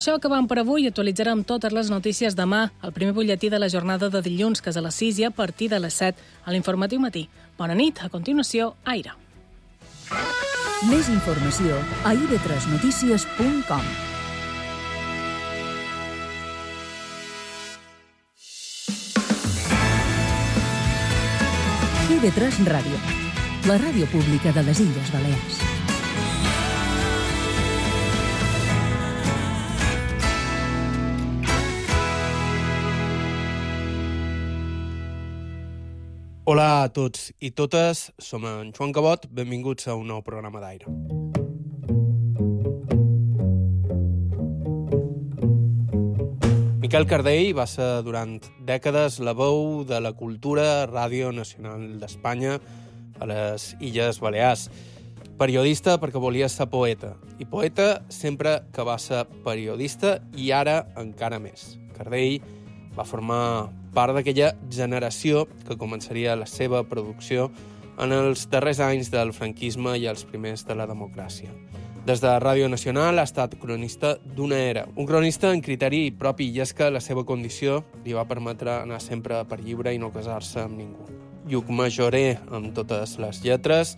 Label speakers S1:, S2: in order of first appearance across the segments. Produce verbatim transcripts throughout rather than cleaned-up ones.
S1: Això acabam per avui. Actualitzarem totes les notícies demà, el primer butlletí de la jornada de dilluns, que és a les sis i a partir de les set a l'Informatiu Matí. Bona nit, a continuació, Aire.
S2: Més informació a i ve tres notícies punt com. i ve tres Ràdio, la ràdio pública de les Illes Balears.
S3: Hola a tots i totes, som en Joan Cabot, benvinguts a un nou programa d'Aire. Miquel Cardell va ser durant dècades la veu de la cultura a Ràdio Nacional d'Espanya a les Illes Balears. Periodista perquè volia ser poeta, i poeta sempre que va ser periodista i ara encara més. Cardell va formar part d'aquella generació que començaria la seva producció en els darrers anys del franquisme i els primers de la democràcia. Des de Ràdio Nacional ha estat cronista d'una era, un cronista en criteri propi, i és que la seva condició li va permetre anar sempre per lliure i no casar-se amb ningú. Llucmajorer amb totes les lletres,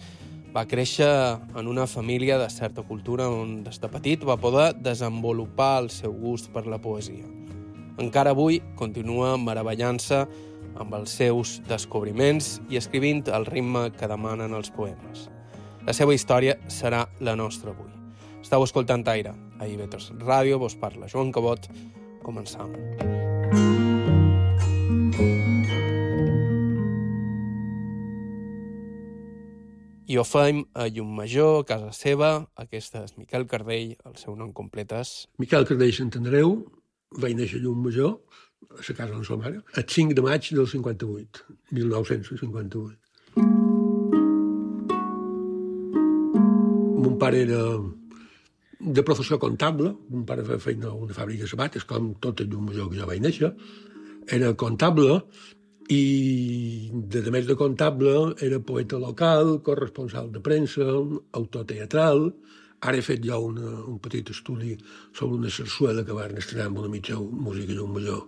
S3: va créixer en una família de certa cultura on des de petit va poder desenvolupar el seu gust per la poesia. Encara avui continua meravellant-se amb els seus descobriments i escrivint el ritme que demanen els poemes. La seva història serà la nostra avui. Estau escoltant Aire, a i ve tres Ràdio, vos parla Joan Cabot. Començam. I ho fem a Llucmajor, a casa seva. Aquesta és Miquel Cardell, el seu nom complet és...
S4: Miquel Cardell s'entendreu. Vaig néixer a Llucmajor, a la casa de la seva mare, el cinc de maig del cinquanta-vuit, mil nou-cents cinquanta-vuit. Mon pare era de professió comptable, mon pare feia feina a una fàbrica de sabates, com tot el Llucmajor que jo vaig néixer. Era comptable i, de més de comptable, era poeta local, corresponsal de premsa, autor teatral. Ara he fet jo una, un petit estudi sobre una sarsuela que varen estrenar amb una mitja música Llucmajor,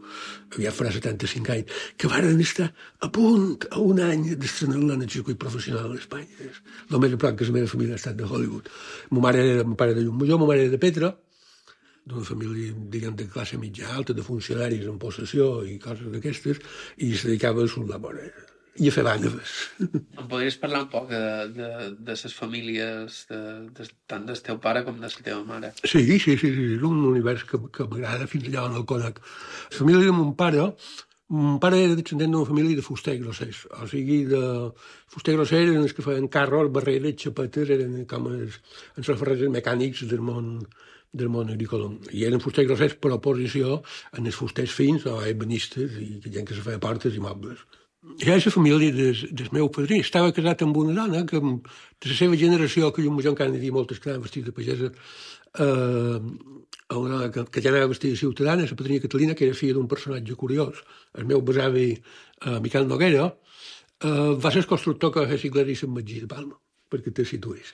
S4: aviat farà setanta-cinc anys, que varen estar a punt, a un any, d'estrenar-la en el circuit professional d'Espanya. El més a prop que la meva família ha estat de Hollywood. Mon mare era, mon pare de Llucmajor, mon mare era de Petra, d'una família, diguem, de classe mitja alta, de funcionaris en possessió i coses d'aquestes, i es dedicava a soldar bona i a fer vàneves.
S3: Em podries parlar un poc de, de, de les famílies, de, de, tant del teu pare com de la teva mare?
S4: Sí, sí, sí, sí, és un univers que, que m'agrada fins allà on el conec. La família de mon pare, mon pare era descendent d'una família de fuster grossers, o sigui, de fuster grossers eren els que feien carros, barreres, xapetes, eren com els, els ferrers mecànics del món, del món agrícola. I eren fusters grossers per oposició en els fusters fins o ebanistes i gent que se feia portes i mobles. Ja és la família del, del meu padrí. Estava casat amb una dona que, de la seva generació, que jo encara n'hi havia moltes que anaven vestits de pagesa, eh, una dona que, que ja anava vestida de ciutadana, la padrina Catalina, que era filla d'un personatge curiós. El meu besavi, eh, Miquel Noguera, eh, va ser el constructor que va fer Sigler i Sant Magí de Palma, perquè te situïs.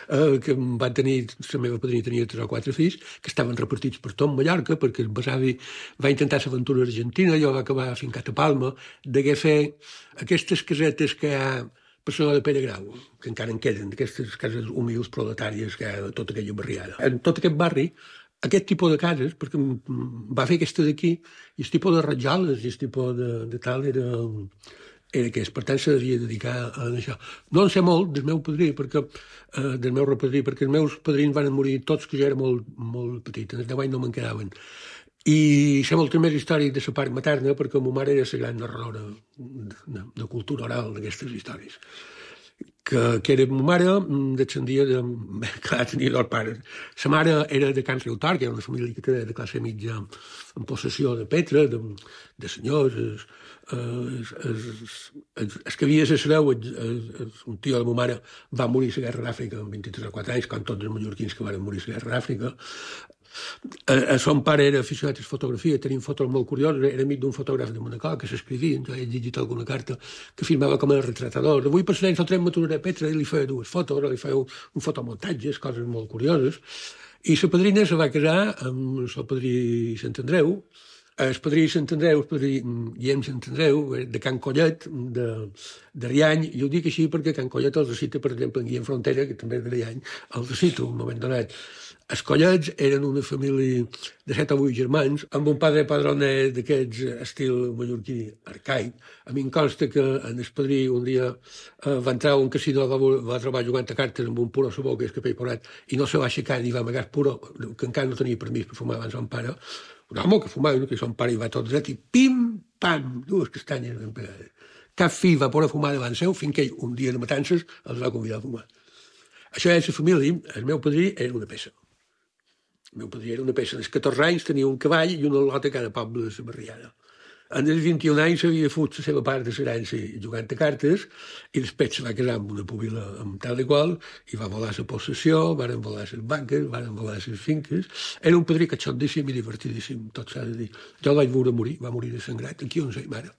S4: Uh, que van tenir, la meva padrina tenia tres o quatre fills que estaven repartits per tot Mallorca, perquè el besavi va intentar l'aventura argentina, jo va acabar fincat a Palma, degué fer aquestes casetes que hi ha per la de Pere Grau, que encara en queden, aquestes cases humils proletàries que hi ha a tota aquella barriada. En tot aquest barri, aquest tipus de cases, perquè va fer aquesta d'aquí, i el tipus de rajoles i el tipus de, de tal era... era aquest, per tant se devia dedicar a això. No en sé molt del meu padrí, perquè, eh, del meu repadrí, perquè els meus padrins van morir tots que jo era molt, molt petit, en els deu anys no me'n quedaven. I sé moltes més històries de la part materna, perquè ma mare era la gran narradora de, de, de cultura oral d'aquestes històries. Que, que era ma mare, descendia de... Clar, tenia dos pares. La mare era de Can Riutor, que era una família que era de classe mitja en possessió de Petra, de, de senyors. Es, es, es, es, es que havia de ser un tio de ma mare va morir a la guerra d'Àfrica amb vint-i-tres o quatre anys, com tots els mallorquins que van morir a la guerra d'Àfrica. El son pare era aficionat a la fotografia, tenim fotos molt curioses, era amic d'un fotògraf de Manacor que s'escrivia, jo he llegit alguna carta que firmava com a retratador. Avui per l'any fotrem Maturera Petra i li feia dues fotos, li feia un fotomuntatges, coses molt curioses. I la padrina se va casar amb el padrí Sant Andreu. El padrí Sant Andreu, el padrí Guillem Sant Andreu, de Can Collet, de, de Riany, i ho dic així perquè Can Collet els recita, per exemple, en Guillem Frontera, que també és de Riany, els recita un moment donat. Els Collets eren una família de set o vuit germans, amb un padre padroner d'aquests estil mallorquí arcaic. A mi em consta que en el padrí un dia eh, va entrar a un casino, va, va trobar jugant a cartes amb un puro a la boca, és que pell porat, i no se va aixecar ni va amagar puro, que encara no tenia permís per fumar abans son pare. Un home que fumava, que son pare i va tot dret, i pim, pam, dues castanyes ben pegades. Cap fill va poder fumar davant seu, fins que ell, un dia de matances, els va convidar a fumar. Això és la família, el meu padrí era una peça. El meu padrí era una peça. Als catorze anys tenia un cavall i una lota a cada poble de la barriada. En els vint-i-un anys havia fut la seva part de l'herència jugant a cartes i després se va casar amb una pubila amb tal i qual i va volar la possessió, van volar les banques, van volar les finques. Era un padrí catxondíssim i divertidíssim, tot s'ha de dir. Jo el vaig veure morir, va morir de sangrat, aquí on sei mare.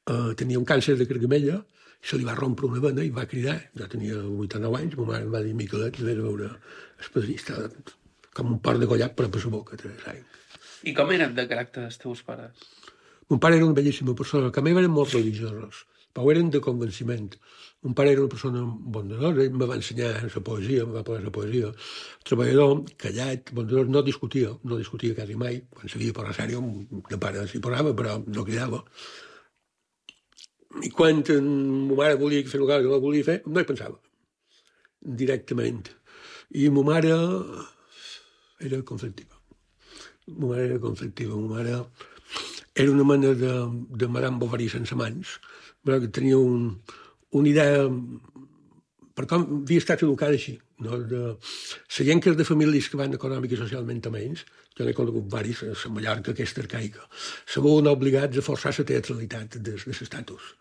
S4: Uh, tenia un càncer de cargamella, se li va rompre una vena i va cridar. Jo tenia vuitanta-nou anys, ma mare em va dir Miquelet, de veure el padrí, estava com un port de collat per a la boca.
S3: I com eren de caràcter els teus pares?
S4: Mon pare era una bellíssima persona, que a mi eren molt religiosos, però eren de convenciment. Mon pare era una persona bondadora, ell em va ensenyar la poesia, em va posar la poesia. Treballador, callat, bondador, no discutia, no discutia quasi mai. Quan s'havia de posar sèrio, de pare s'hi posava, però no cridava. I quan ma mare volia fer una cosa que no volia fer, no hi pensava, directament. I ma mare era conflictiva. Ma mare era conflictiva, ma mare era una mena de, de Madame Bovary sense mans, però que tenia un, una idea, per com havia estat educada així, no? De, la gent que és de famílies que van econòmic i socialment a menys, jo n'he conegut varis, la Mallorca aquesta arcaica, se veuen obligats a forçar la teatralitat de, de l'estatus.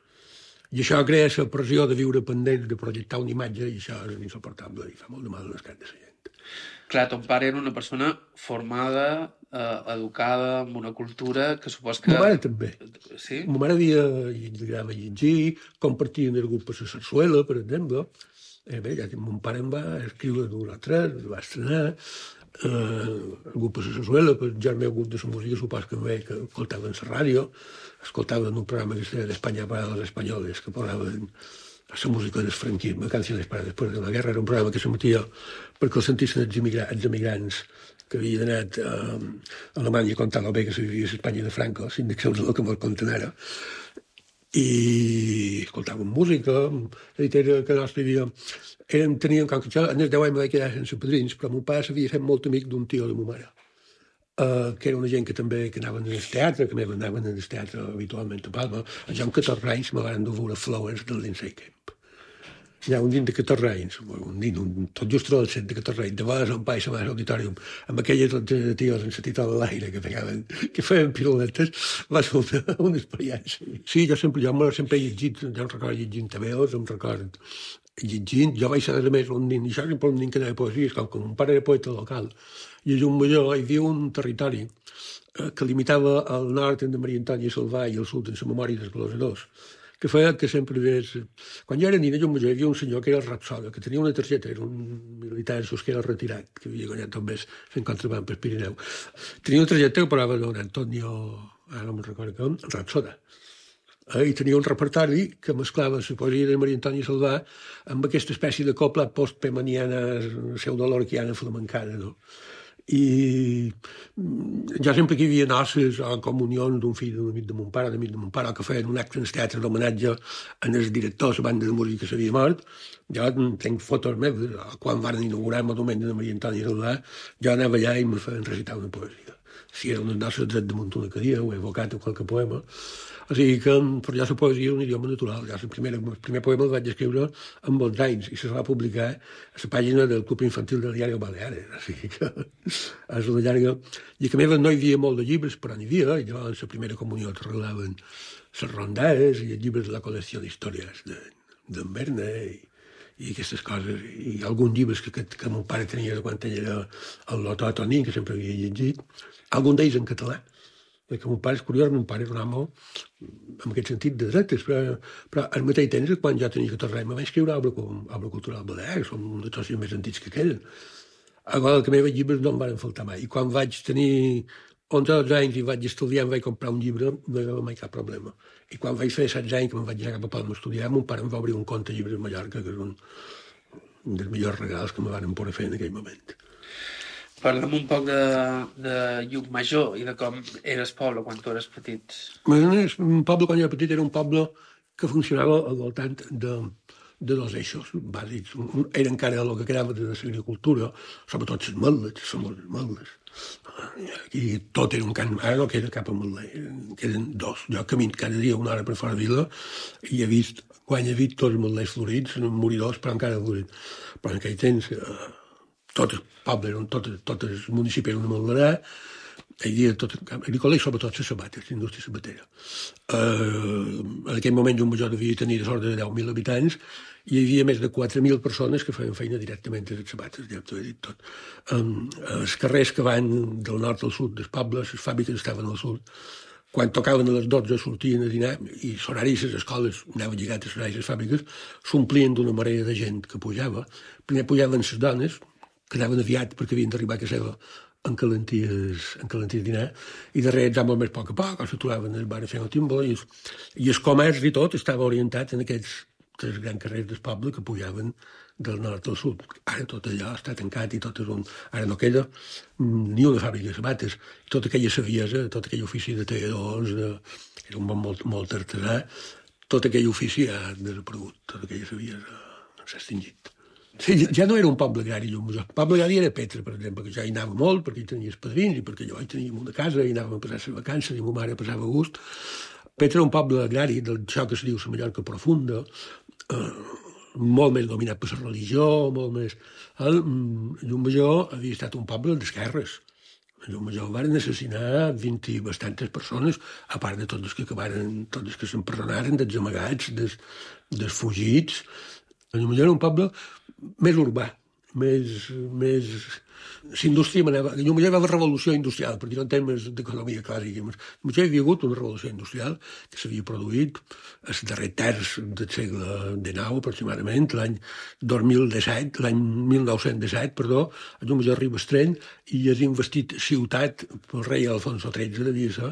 S4: I això crea la pressió de viure pendents, de projectar una imatge, i això és insuportable i fa molt de mal a l'escat de la gent.
S3: Clar, ton pare era una persona formada, eh, educada, amb una cultura que supos que...
S4: Ma mare també.
S3: Sí?
S4: Ma mare havia, li agradava llegir, compartien el grup a la sarsuela, per exemple. Eh, bé, ja, mon pare em va escriure d'un o tres, el va estrenar, eh, el grup a la sarsuela, per ja el meu grup de la música, supos que em veia que escoltaven la ràdio, escoltaven un programa que es deia d'Espanya para los españoles, que posaven la música del franquisme, Canciones para después de la guerra, era un programa que s'emetia perquè el sentissin els, emigrants, els emigrants que havien anat a, a Alemanya a contar el bé que se vivia a l'Espanya de Franco, s'indexeu el que mos conten ara. I escoltàvem música, és a dir, que nostre vivia... Érem, teníem, com que jo, en els deu anys me vaig quedar sense padrins, però mon pare s'havia fet molt amic d'un tio de ma mare, uh, que era una gent que també que anaven al teatre, que anaven al teatre habitualment a Palma. Jo amb catorze anys me van dur a veure Flowers del Lindsay Kemp. Ja un nin de catorze anys, un nin, un, tot just adolescent de catorze anys, de vegades on país a l'auditorium, amb aquelles de tios en la titola a l'aire que feien, que feien piruletes, va ser una, una experiència. Sí, jo sempre, jo sempre he llegit, jo em recordo llegint tabeos, em recordo llegint, jo vaig ser a més un nin, i això sempre un nin que anava a poesies, com que mon pare era poeta local, i a un major hi havia un territori eh, que limitava el nord de Maria Antònia Salvà i el sud en la memòria dels glosadors, que feia que sempre ves... Quan jo era nina, jo hi havia un senyor que era el Rapsoda, que tenia una targeta, era un militar que era retirat, que havia guanyat tot més fent contraband per Pirineu. Tenia una targeta que parava d'un Antonio, ara no me'n recordo com, Rapsoda. Eh, I tenia un repertori que mesclava la poesia de Maria Antònia Salvà amb aquesta espècie de copla post-pemaniana, pseudolorquiana flamencana, no? I jo sempre que hi havia noces o comunions d'un fill d'un amic de mon pare, d'amic de mon pare, que feien un acte en el teatre d'homenatge en el director de la banda de música que s'havia mort, jo tenc fotos meves, quan van inaugurar el monument de Maria Antònia Salvà, jo anava allà i me feien recitar una poesia. Si era unes noces dret damunt una cadira, ho he evocat o qualque poema. O sigui que per jo la poesia és un idioma natural. Jo el primer, el primer poema el vaig escriure amb onze anys i se va publicar a la pàgina del Club Infantil del Diari Baleares. O sigui que és una llarga... I que a més no hi havia molt de llibres, però n'hi havia, i llavors la primera comunió te regalaven les rondades i els llibres de la col·lecció d'històries d'en Verne i, i aquestes coses. I alguns llibres que, que, que mon pare tenia quan ell era el Lotó Tonín, que sempre havia llegit, alguns d'ells en català. Perquè mon pare és curiós, mon pare era un home en aquest sentit de dretes, però, però al mateix temps, quan jo tenia catorze anys, me vaig escriure a Obra Cultural Balear, que són uns socis més antics que aquell. A Guadalcanal llibres no em van faltar mai. I quan vaig tenir onze o dotze anys i vaig estudiar, em vaig comprar un llibre, no hi havia mai cap problema. I quan vaig fer setze anys, que me'n vaig anar cap a Palma a estudiar, mon pare em va obrir un compte de llibres a Mallorca, que és un, un dels millors regals que me van poder fer en aquell moment.
S3: Parla'm un poc de, de Llucmajor i de com eres poble quan tu eres petit.
S4: Un poble, quan jo era petit, era un poble que funcionava al voltant de, de dos eixos bàsics. Un, era encara el que quedava de l'agricultura, sobretot les meldes, les meldes. Aquí tot era un camp, ara no queda cap ametler, queden dos. Jo camino cada dia una hora per fora de vila i he vist, quan he vist tots els ametlers florits, moridors, però encara florits. Però en aquell temps, eh, tots els pobles, tots, tots els municipis eren una ametlerà, hi havia tot el camp agrícola i sobretot les sabates, l'indústria sabatera. Uh, en aquell moment Llucmajor devia tenir de sort de deu mil habitants i hi havia més de quatre mil persones que feien feina directament a les sabates, ja t'ho he dit tot. Um, els carrers que van del nord al sud dels pobles, les fàbriques estaven al sud, quan tocaven a les dotze sortien a dinar i l'horari de les escoles anaven lligats a l'horari de les fàbriques, s'omplien d'una marea de gent que pujava. Primer pujaven les dones, que anaven aviat perquè havien d'arribar a casa seva en calenties, en calenties dinar, i darrere els amos més poc a poc, o s'aturaven al bar a fer el timbó, i, i el comerç i tot estava orientat en aquests tres grans carrers del poble que pujaven del nord al sud. Ara tot allò està tancat i tot és un... Ara no queda ni una fàbrica de sabates. Tota aquella saviesa, tot aquell ofici de talladors, de... era un bon molt, molt artesà, tot aquell ofici ha desaparegut, tota aquella saviesa s'ha extingit. Sí, ja no era un poble agrari, Llucmajor. El poble agrari era Petra, per exemple, que ja hi anava molt, perquè hi tenia els padrins, i perquè jo hi tenia una casa, i anàvem a passar les vacances, i ma mare passava a gust. Petra era un poble agrari, d'això que se diu la Mallorca profunda, eh, molt més dominat per la religió, molt més... El Llucmajor havia estat un poble d'esquerres. A Llucmajor van assassinar vint i bastantes persones, a part de tots els que acabaren, tots els que s'empresonaren, dels amagats, dels, dels fugits. A Llucmajor era un poble més urbà, més... més... L'indústria manava... Llucmajor hi va haver revolució industrial, per dir-ho en termes d'economia clàssica. Llucmajor hi havia hagut una revolució industrial que s'havia produït el darrer terç del segle dinou, aproximadament, l'any dos mil disset, l'any mil nou-cents disset, perdó, a Llucmajor arriba el tren i és investit ciutat pel rei Alfonso tretze, devia ser,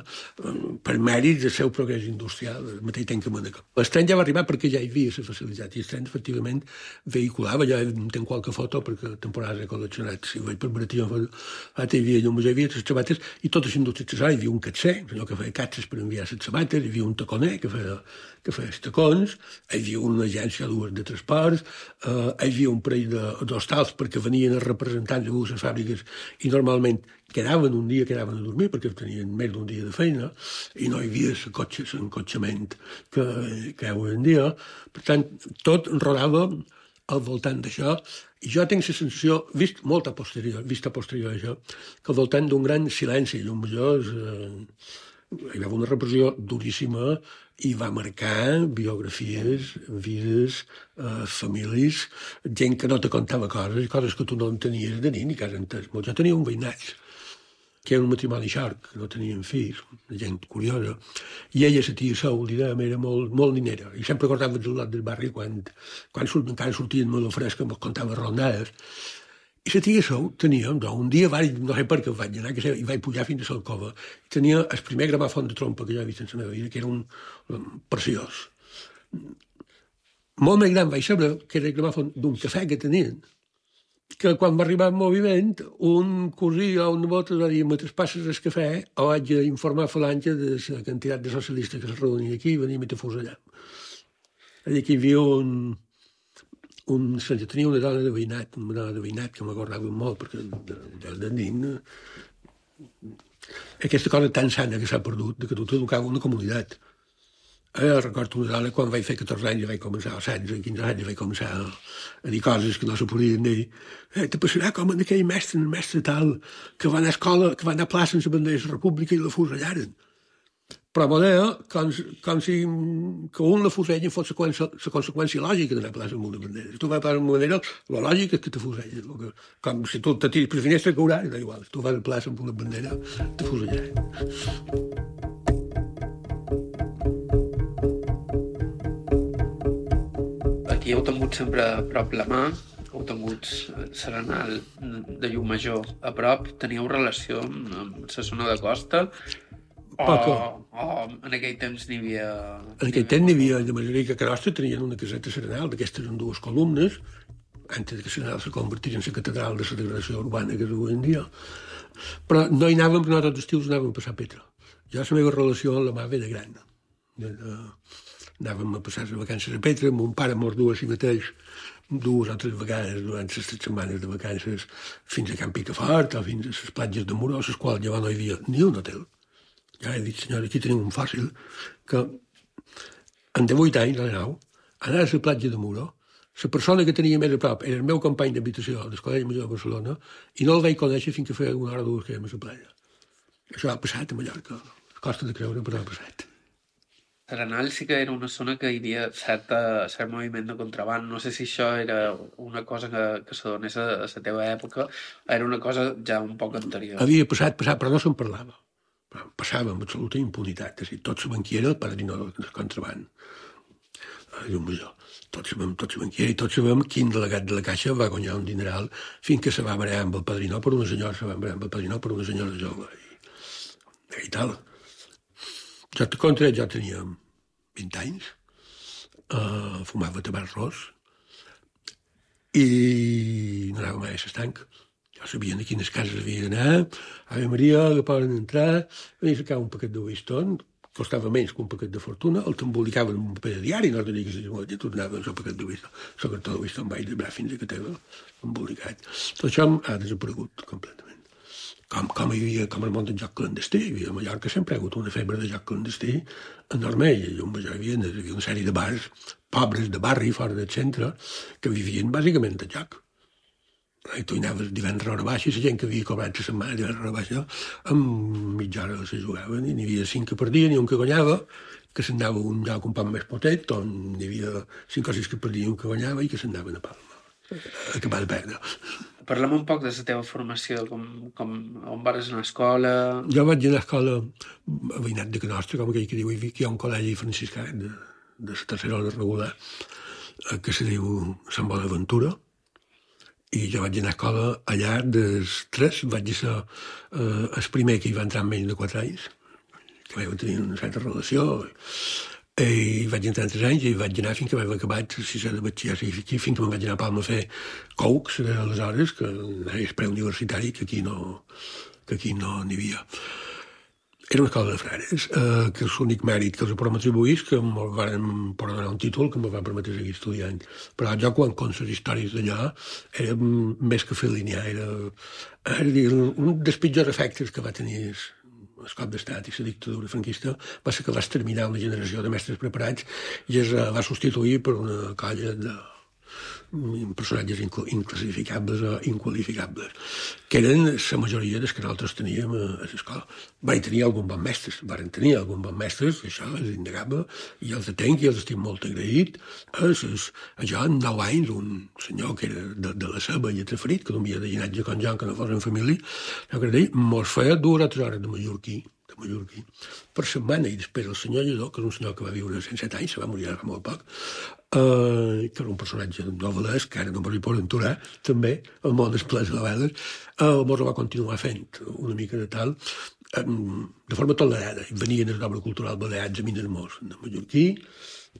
S4: per mèrits del seu progrés industrial, al mateix temps que Mònaco. El tren ja va arribar perquè ja hi havia la facilitat, i el tren, efectivament, vehiculava, ja tenc qualque foto perquè temporades he col·leccionat, si vaig per Baratia, hi havia Llucmajor, hi havia les sabates, i totes les indústries accessòries, hi havia un catxer, allò que feia catxes per enviar les sabates, hi havia un taconer que feia, que feia els tacons, hi havia una agència de transports, eh, hi havia un parell d'hostals perquè venien els representants de les fàbriques i normalment quedaven un dia, quedaven a dormir perquè tenien més d'un dia de feina i no hi havia l'encotxament que, que hi ha avui en dia. Per tant, tot rodava al voltant d'això, i jo tinc la sensació, vist molt a posterior, vist a posterior això, que al voltant d'un gran silenci, Llucmajor, eh, hi va haver una repressió duríssima i va marcar biografies, vides, eh, famílies, gent que no te contava coses, coses que tu no entenies de ni, ni que has entès. Jo tenia un veïnat, que era un matrimoni xorc, que no tenien fills, gent curiosa, i ella, la tia Sou, diguem, era molt, molt ninera, i sempre acordava el lot del barri quan, quan surt, encara sortien molt fresca, em contava rondades. I la tia Sou tenia, no, un dia, vaig, no sé per què vaig anar, que sé, i vaig pujar fins a l'alcova, i tenia el primer gramòfon de trompa que jo he vist en la meva vida, que era un, un preciós. Molt més gran vaig saber que era el gramòfon d'un cafè que tenien, que quan va arribar el moviment, un cosí o un nebot va dir, me traspasses el cafè o haig d'informar Falange de la quantitat de socialistes que es reunia aquí i venim i te fos allà. És dir, que hi havia un... un jo tenia una dona de veïnat, una dona de veïnat que m'acordava molt, perquè de, de, de nin... Aquesta cosa tan sana que s'ha perdut, de que tu t'educava una comunitat. Eh, recordo una dona, quan vaig fer catorze anys, vaig començar, o setze, quinze anys, vaig començar a, a dir coses que no se podien dir. Eh, te passarà com en aquell mestre, el mestre tal, que va anar a escola, que va anar a plaça sense bandera de la República i la fusellaren. Però manera, com, com si que un la fusellin fos la conseqüència lògica d'anar a plaça amb una bandera. Si tu vas a plaça amb una bandera, la lògica és que te fusellin. Com si tu te tiris per la finestra, caurà, no igual. Si tu vas a plaça amb una bandera, te fusellaren. Aquí
S3: heu tingut sempre a prop la mà, heu tingut l'Arenal de Llucmajor, a prop, teníeu relació amb, amb la zona de costa?
S4: Poca.
S3: O, o en aquell temps n'hi havia...
S4: En aquell temps n'hi havia, de manera que a Nostra tenien una caseta serenal, d'aquestes en dues columnes, antes que serenal se convertís en la catedral de la degradació urbana que és avui en dia. Però no hi anàvem, perquè no tots els estius anàvem a passar Petra. Jo la meva relació amb la mà ve de gran. De, de, anàvem a passar les vacances a Petra, mon pare mos du a si mateix dues o tres vegades durant les tres setmanes de vacances fins a Can Picafort o fins a les platges de Muro, a les quals llavors no hi havia ni un hotel. Ja he dit, senyora, aquí tenim un fàcil, que en divuit anys, a la nau, anar a la platja de Muro, la persona que tenia més a prop era el meu company d'habitació del Col·legi Major de Barcelona i no el vaig conèixer fins que feia una hora o dues que érem a la platja. Això ha passat a Mallorca. Costa de creure, però ha passat.
S3: Arenal sí que era una zona que hi havia certa, cert moviment de contraband. No sé si això era una cosa que, que s'adonés a, a la teva època, era una cosa ja un poc anterior.
S4: Havia passat, passat, però no se'n parlava. Passava amb absoluta impunitat. És a dir, tots sabem qui era el padrino del contraband. Llumajor. Tots sabem, tots sabem qui era i tots sabem quin delegat de la Caixa va guanyar un dineral fins que se va barallar amb el padrino per una senyora, se va barallar amb el padrino per una senyora jove. I, i tal. Jo, contra jo tenia vint anys, uh, fumava tabac ros i no anava mai a l'estanc. Jo sabia a quines cases havia d'anar, Ave Maria, que poden entrar, venia a sacar un paquet de Winston, costava menys que un paquet de fortuna, el t'embolicaven en un paper de diari, no tenia que ser molt, i tu anaves amb el paquet de Winston. El cartó de Winston vaig desbrar fins a que t'era embolicat. Tot això ha desaparegut completament. Com, com hi havia, com el món del joc clandestí, hi havia a Mallorca sempre ha hagut una febre de joc clandestí enorme, i a Llumajor hi havia, hi havia una sèrie de bars pobres de barri fora del centre que vivien bàsicament de joc. I tu hi anaves divendres a hora baixa, i la gent que havia cobrat la setmana divendres a hora baixa, amb mitja hora se jugaven, i n'hi havia cinc que perdien i un que guanyava, que se'n anava a un lloc un poc més potet, on n'hi havia cinc o sis que perdien i un que guanyava, i que se'n anaven a Palma a acabar de perdre.
S3: Parlem un poc de la teva formació, com, com, on vas anar a escola...
S4: Jo vaig anar a escola a veïnat de Canostra, com aquell que diu, que hi ha un col·legi franciscà de, de la tercera hora regular, que se diu Sant Bonaventura, i jo vaig anar a escola allà dels tres, vaig ser eh, el primer que hi va entrar amb menys de quatre anys, que vaig tenir una certa relació, i vaig entrar en tres anys i vaig anar fins que vaig acabar el sisè de batxiller, fins que me'n vaig anar a Palma a fer Coux, aleshores, que és preuniversitari, que aquí no que aquí no n'hi havia. Era una escola de frares, eh, que és l'únic mèrit que els podem atribuir, que em van donar un títol que em va permetre seguir estudiant. Però jo, quan conto les històries d'allò, era més que fer línia, era, era dir, un dels pitjors efectes que va tenir el cop d'estat i la dictadura franquista va ser que va exterminar una generació de mestres preparats i es va substituir per una colla de personatges inclassificables o inqualificables, que eren la majoria dels que nosaltres teníem a l'escola. Van tenir algun bon mestres, van tenir algun bon mestres, això és innegable, i els tenc i els estic molt agraït. Jo, en nou anys, un senyor que era de, de la Ceba i Traferit, que no havia de llinatge com jo, que no fos en família, jo que deia, mos feia dues o tres hores de mallorquí, de mallorquí, per setmana, i després el senyor Lledó, que és un senyor que va viure cent set anys, se va morir ara fa molt poc, Uh, que era un personatge novel·lesc, que ara no m'hi poden aturar, també, el món és ple de vegades, uh, mos ho va continuar fent una mica de tal, um, de forma tolerada. Venien els d'obra cultural baleats a Minermós, de mallorquí,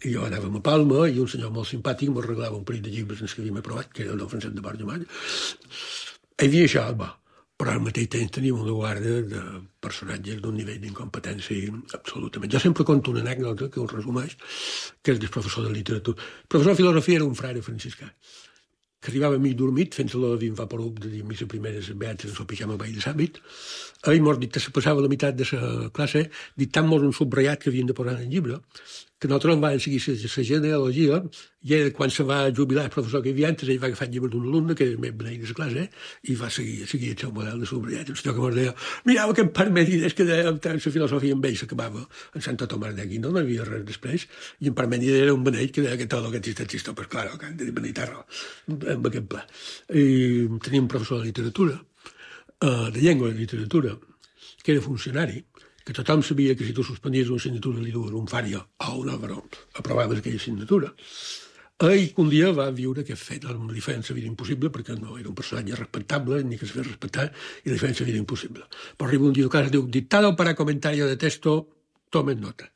S4: i jo anàvem a Palma, i un senyor molt simpàtic m'ho regalava un parell de llibres en els que havíem aprovat, que era el del Francesc de Borja Mall. Hi havia això, va, però al mateix temps teníem una guarda de personatges d'un nivell d'incompetència absolutament. Jo sempre conto una anècdota que ho resumeix, que és del professor de literatura. El professor de filosofia era un frare franciscà, que arribava mig dormit, fent-se-lo de vint vaporup de dir missa primera les beates en el pijama vell de sàbit. Ell mos dit que se passava la meitat de la classe dictant-mos un subratllat que havien de posar en el llibre, que nosaltres en vam seguir la genealogia, i ell, quan se va jubilar el professor que hi havia antes, ell va agafar el llibre d'un alumne, que era el més beneit de la classe, i va seguir, seguir el seu model de subratllat. El senyor que mos deia, mireu aquest Parmènides que deia la filosofia amb ell s'acabava en Santo Tomàs d'Aquí, no n'hi havia res després, i en Parmènides era un beneit que deia que tot el que existe existe, pues claro, que han de beneitar-lo, amb aquest pla. I teníem un professor de literatura, de llengua i literatura, que era funcionari, que tothom sabia que si tu suspendies una assignatura li dues un Fària o un Álvaro, aprovaves aquella assignatura. Ell un dia va viure aquest fet, amb li feien la vida impossible, perquè no era un personatge respectable, ni que es feia respectar, i li feien la vida impossible. Però arriba un dia a casa i diu, dictado para comentario de texto, tomen nota.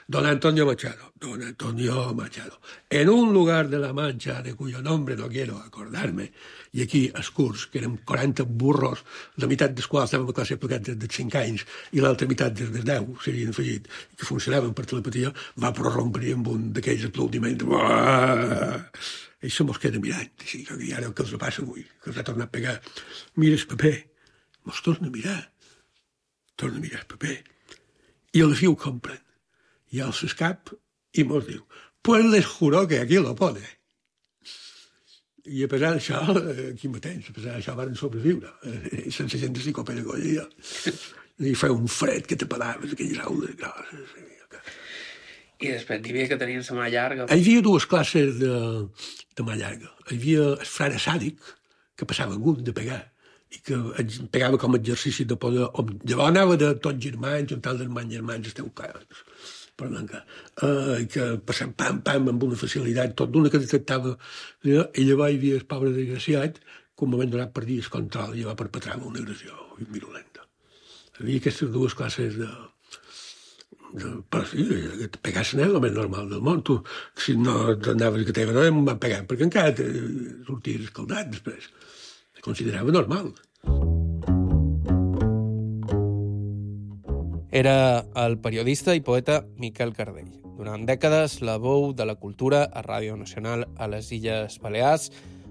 S4: Don Antonio Machado, don Antonio Machado. En un lugar de la Mancha de cuyo nombre no quiero acordarme, i aquí els curs, que érem quaranta burros, la meitat dels quals estàvem a classe aplicats des dels cinc anys i l'altra meitat des dels deu s'havien afegit, que funcionaven per telepatia, va prorrompre amb un d'aquells aplaudiments. I se mos queda mirant, així, que ara què els passa avui, que els ha tornat a pegar. Mira el paper, mos torna a mirar, torna a mirar el paper, i a la fi ho compren. I alça el cap i mos diu, pues les juro que aquí lo pone. I a pesar d'això, aquí mateix, a pesar d'això van sobreviure, eh, sense gent de psicopedagogia. I feia un fred que te pelaves, aquelles aules grosses.
S3: I després hi havia que tenir la mà llarga.
S4: Hi havia dues classes de, de mà llarga. Hi havia el frare sàdic, que passava gust de pegar, i que pegava com a exercici de poder. Llavors anava de tots germans, un tal d'hermans germans, esteu caros, perdó, uh, que passant pam, pam, amb una facilitat, tot d'una que detectava. I llavors hi havia el pobre desgraciat, que un moment donat perdia el control i va perpetrar una agressió virulenta. Hi havia aquestes dues classes de... de però sí, pegar-se n'és el més normal del món. Tu, si no anaves a que teva no em van pegar, perquè encara te sorties escaldat després. Es considerava normal.
S3: Era el periodista i poeta Miquel Cardell. Durant dècades, la veu de la cultura a Ràdio Nacional a les Illes Balears,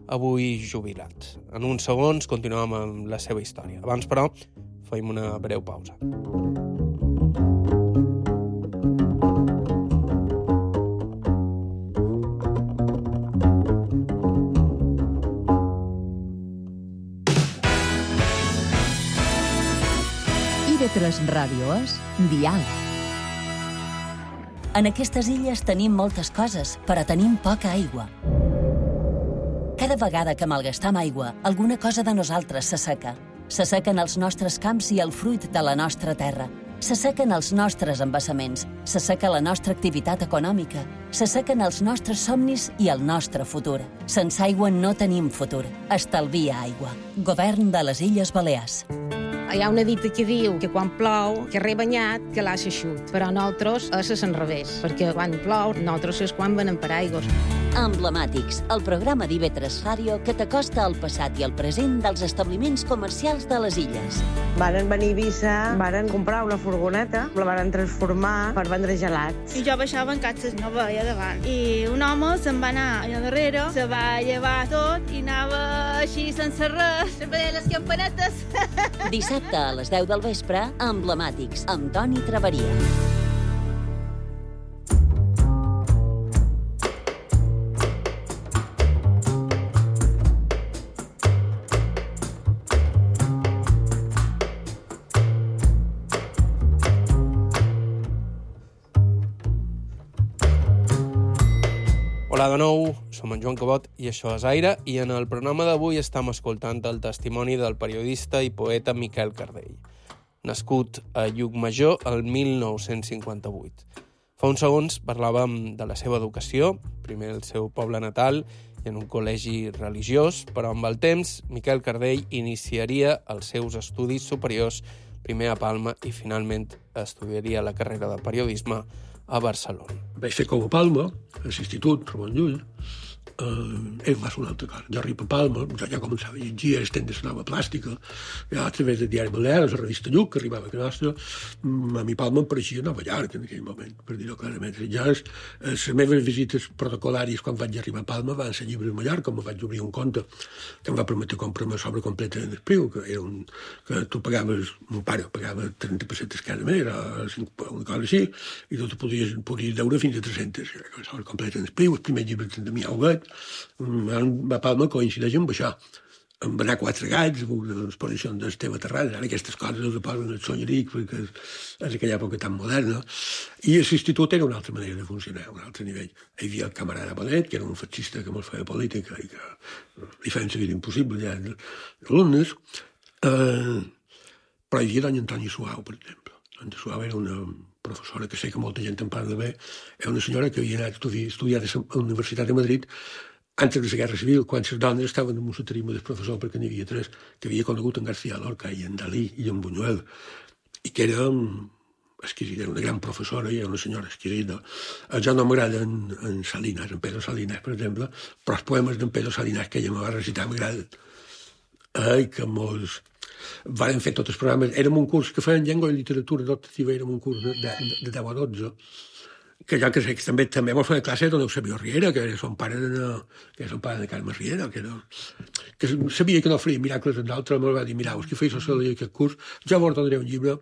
S3: avui jubilat. En uns segons continuem amb la seva història. Abans, però, fem una breu pausa.
S2: I ve tres Ràdio és Dial.
S5: En aquestes illes tenim moltes coses, però tenim poca aigua. Cada vegada que malgastam aigua, alguna cosa de nosaltres s'asseca. S'assequen els nostres camps i el fruit de la nostra terra. S'assequen els nostres embassaments, s'asseca la nostra activitat econòmica, s'assequen els nostres somnis i el nostre futur. Sense aigua no tenim futur. Estalvia aigua. Govern de les Illes Balears.
S6: Hi ha una dita que diu que quan plou, que re banyat, que l'ha eixut. Però nosaltres és a l'enrevés, perquè quan plou, nosaltres és quan venen per aigües.
S5: Emblemàtics, el programa d'I V tres Ràdio que t'acosta al passat i al present dels establiments comercials de les illes.
S7: Varen venir a Eivissa, varen comprar una furgoneta, la varen transformar per vendre gelats.
S8: I jo baixava en catxes, no veia davant. I un home se'n va anar allà darrere, se va llevar tot i anava així sense res, sempre deia les campanetes.
S5: Dissabte a les deu del vespre, Emblemàtics, amb Toni Traveria.
S3: Hola de nou, som en Joan Cabot i això és Aire, i en el programa d'avui estem escoltant el testimoni del periodista i poeta Miquel Cardell, nascut a Llucmajor el mil nou-cents cinquanta-vuit. Fa uns segons parlàvem de la seva educació, primer al seu poble natal i en un col·legi religiós, però amb el temps Miquel Cardell iniciaria els seus estudis superiors, primer a Palma i finalment estudiaria la carrera de periodisme a Barcelona.
S4: Vaig fer com a Palma, a l'institut, Ramon Llull. Uh, ell va ser una altra cosa. Jo arribo a Palma, jo ja començava a llegir el temps de la nova plàstica, ja a través del diari Balears, la revista Lluc, que arribava a casa nostra, a mi Palma em pareixia Nova York en aquell moment, per dir-ho clarament. Ja les, les meves visites protocolàries quan vaig arribar a Palma van ser llibres a Mallorca, em vaig obrir un compte que em va permetre comprar-me sobre completa en Espriu, que era un... que tu pagaves, mon pare pagava trenta pessetes cada mes, era una cosa així, i tu podies, podies deure fins a tres-centes sobre completa en Espriu, els primers llibres de mi Auguet. A Palma coincideix amb això. Em va anar quatre gats, l'exposició d'Esteve Terrades, ara aquestes coses les posen el Solleric, perquè és aquella època tan moderna. I l'institut era una altra manera de funcionar, un altre nivell. Hi havia el camarada Bonet, que era un fascista que molt feia política i que li feien la vida impossible ja d'alumnes. Eh, però hi havia Dona Antònia Suau, per exemple. Dona Suau era una professora, que sé que molta gent en parla bé, és una senyora que havia anat a estudiar a la Universitat de Madrid antes de la Guerra Civil, quan les dones estaven en un soterisme del professor, perquè n'hi havia tres, que havia conegut en García Lorca i en Dalí i en Buñuel, i que era exquisida, era una gran professora i era una senyora exquisida. Ja no m'agrada en, en Salinas, en Pedro Salinas, per exemple, però els poemes d'en Pedro Salinas que ella me va recitar m'agraden. Ai, que molts... Varen fer tots els programes. Érem un curs que feien llengua i literatura adoptativa, érem un curs de, de, de deu a dotze, que jo que sé, que també, també mos feia classe de Eusebio Riera, que era son pare de, que era son pare de Carme Riera, que, era, que sabia que no faria miracles en d'altres, me'l va dir, mirau, que feia sociologia aquest curs, jo vos donaré un llibre,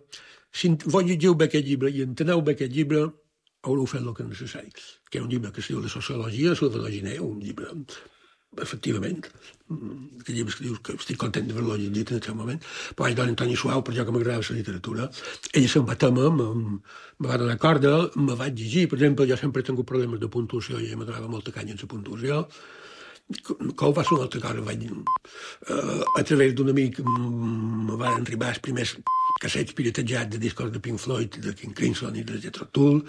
S4: si vos llegiu bé aquest llibre i enteneu bé aquest llibre, haureu fet el que és necessari. Que era un llibre que es diu de sociologia, Salvador Giner, un llibre, efectivament, que llibres que dius que estic content d'haver-lo llegit en aquest moment, però vaig donar Antoni Suau, per jo que m'agradava la literatura, ella se'n va tema, me va donar corda, me vaig llegir, per exemple, jo sempre he tingut problemes de puntuació i ella me donava molta canya en la puntuació, que ho va ser una altra cosa, vaig, uh, a través d'un amic me van arribar els primers cassets piratejats de discos de Pink Floyd, de King Crimson i de Jethro Tull.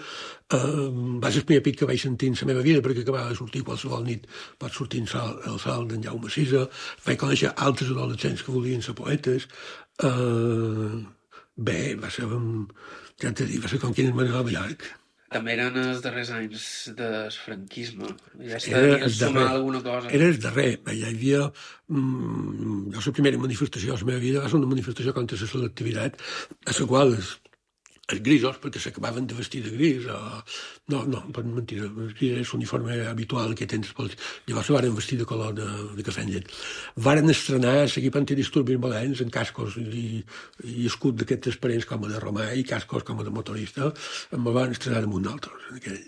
S4: Uh, va ser el primer pic que vaig sentir en la meva vida, perquè acabava de sortir qualsevol nit, pot sortir el sol, el sol d'en Jaume Sisa. Vaig conèixer altres adolescents que volien ser poetes. Uh, bé, va ser, ja t'he dit, va ser com quin és Manuel Ballart.
S3: També eren els darrers anys del franquisme. Ja es devia sumar alguna cosa.
S4: Era el darrer. Ja hi havia... Mm, jo, la primera manifestació de la meva vida va ser una manifestació contra la selectivitat, a la qual els, els grisos, perquè s'acabaven de vestir de gris, o... no, no, per mentida, el gris és l'uniforme habitual que tens pels... Llavors se varen vestir de color de, de cafè amb llet. Varen estrenar l'equip antidisturbis valents en cascos i, i escut d'aquests transparents com a de romà i cascos com a de motorista, em van estrenar damunt d'altres en aquell,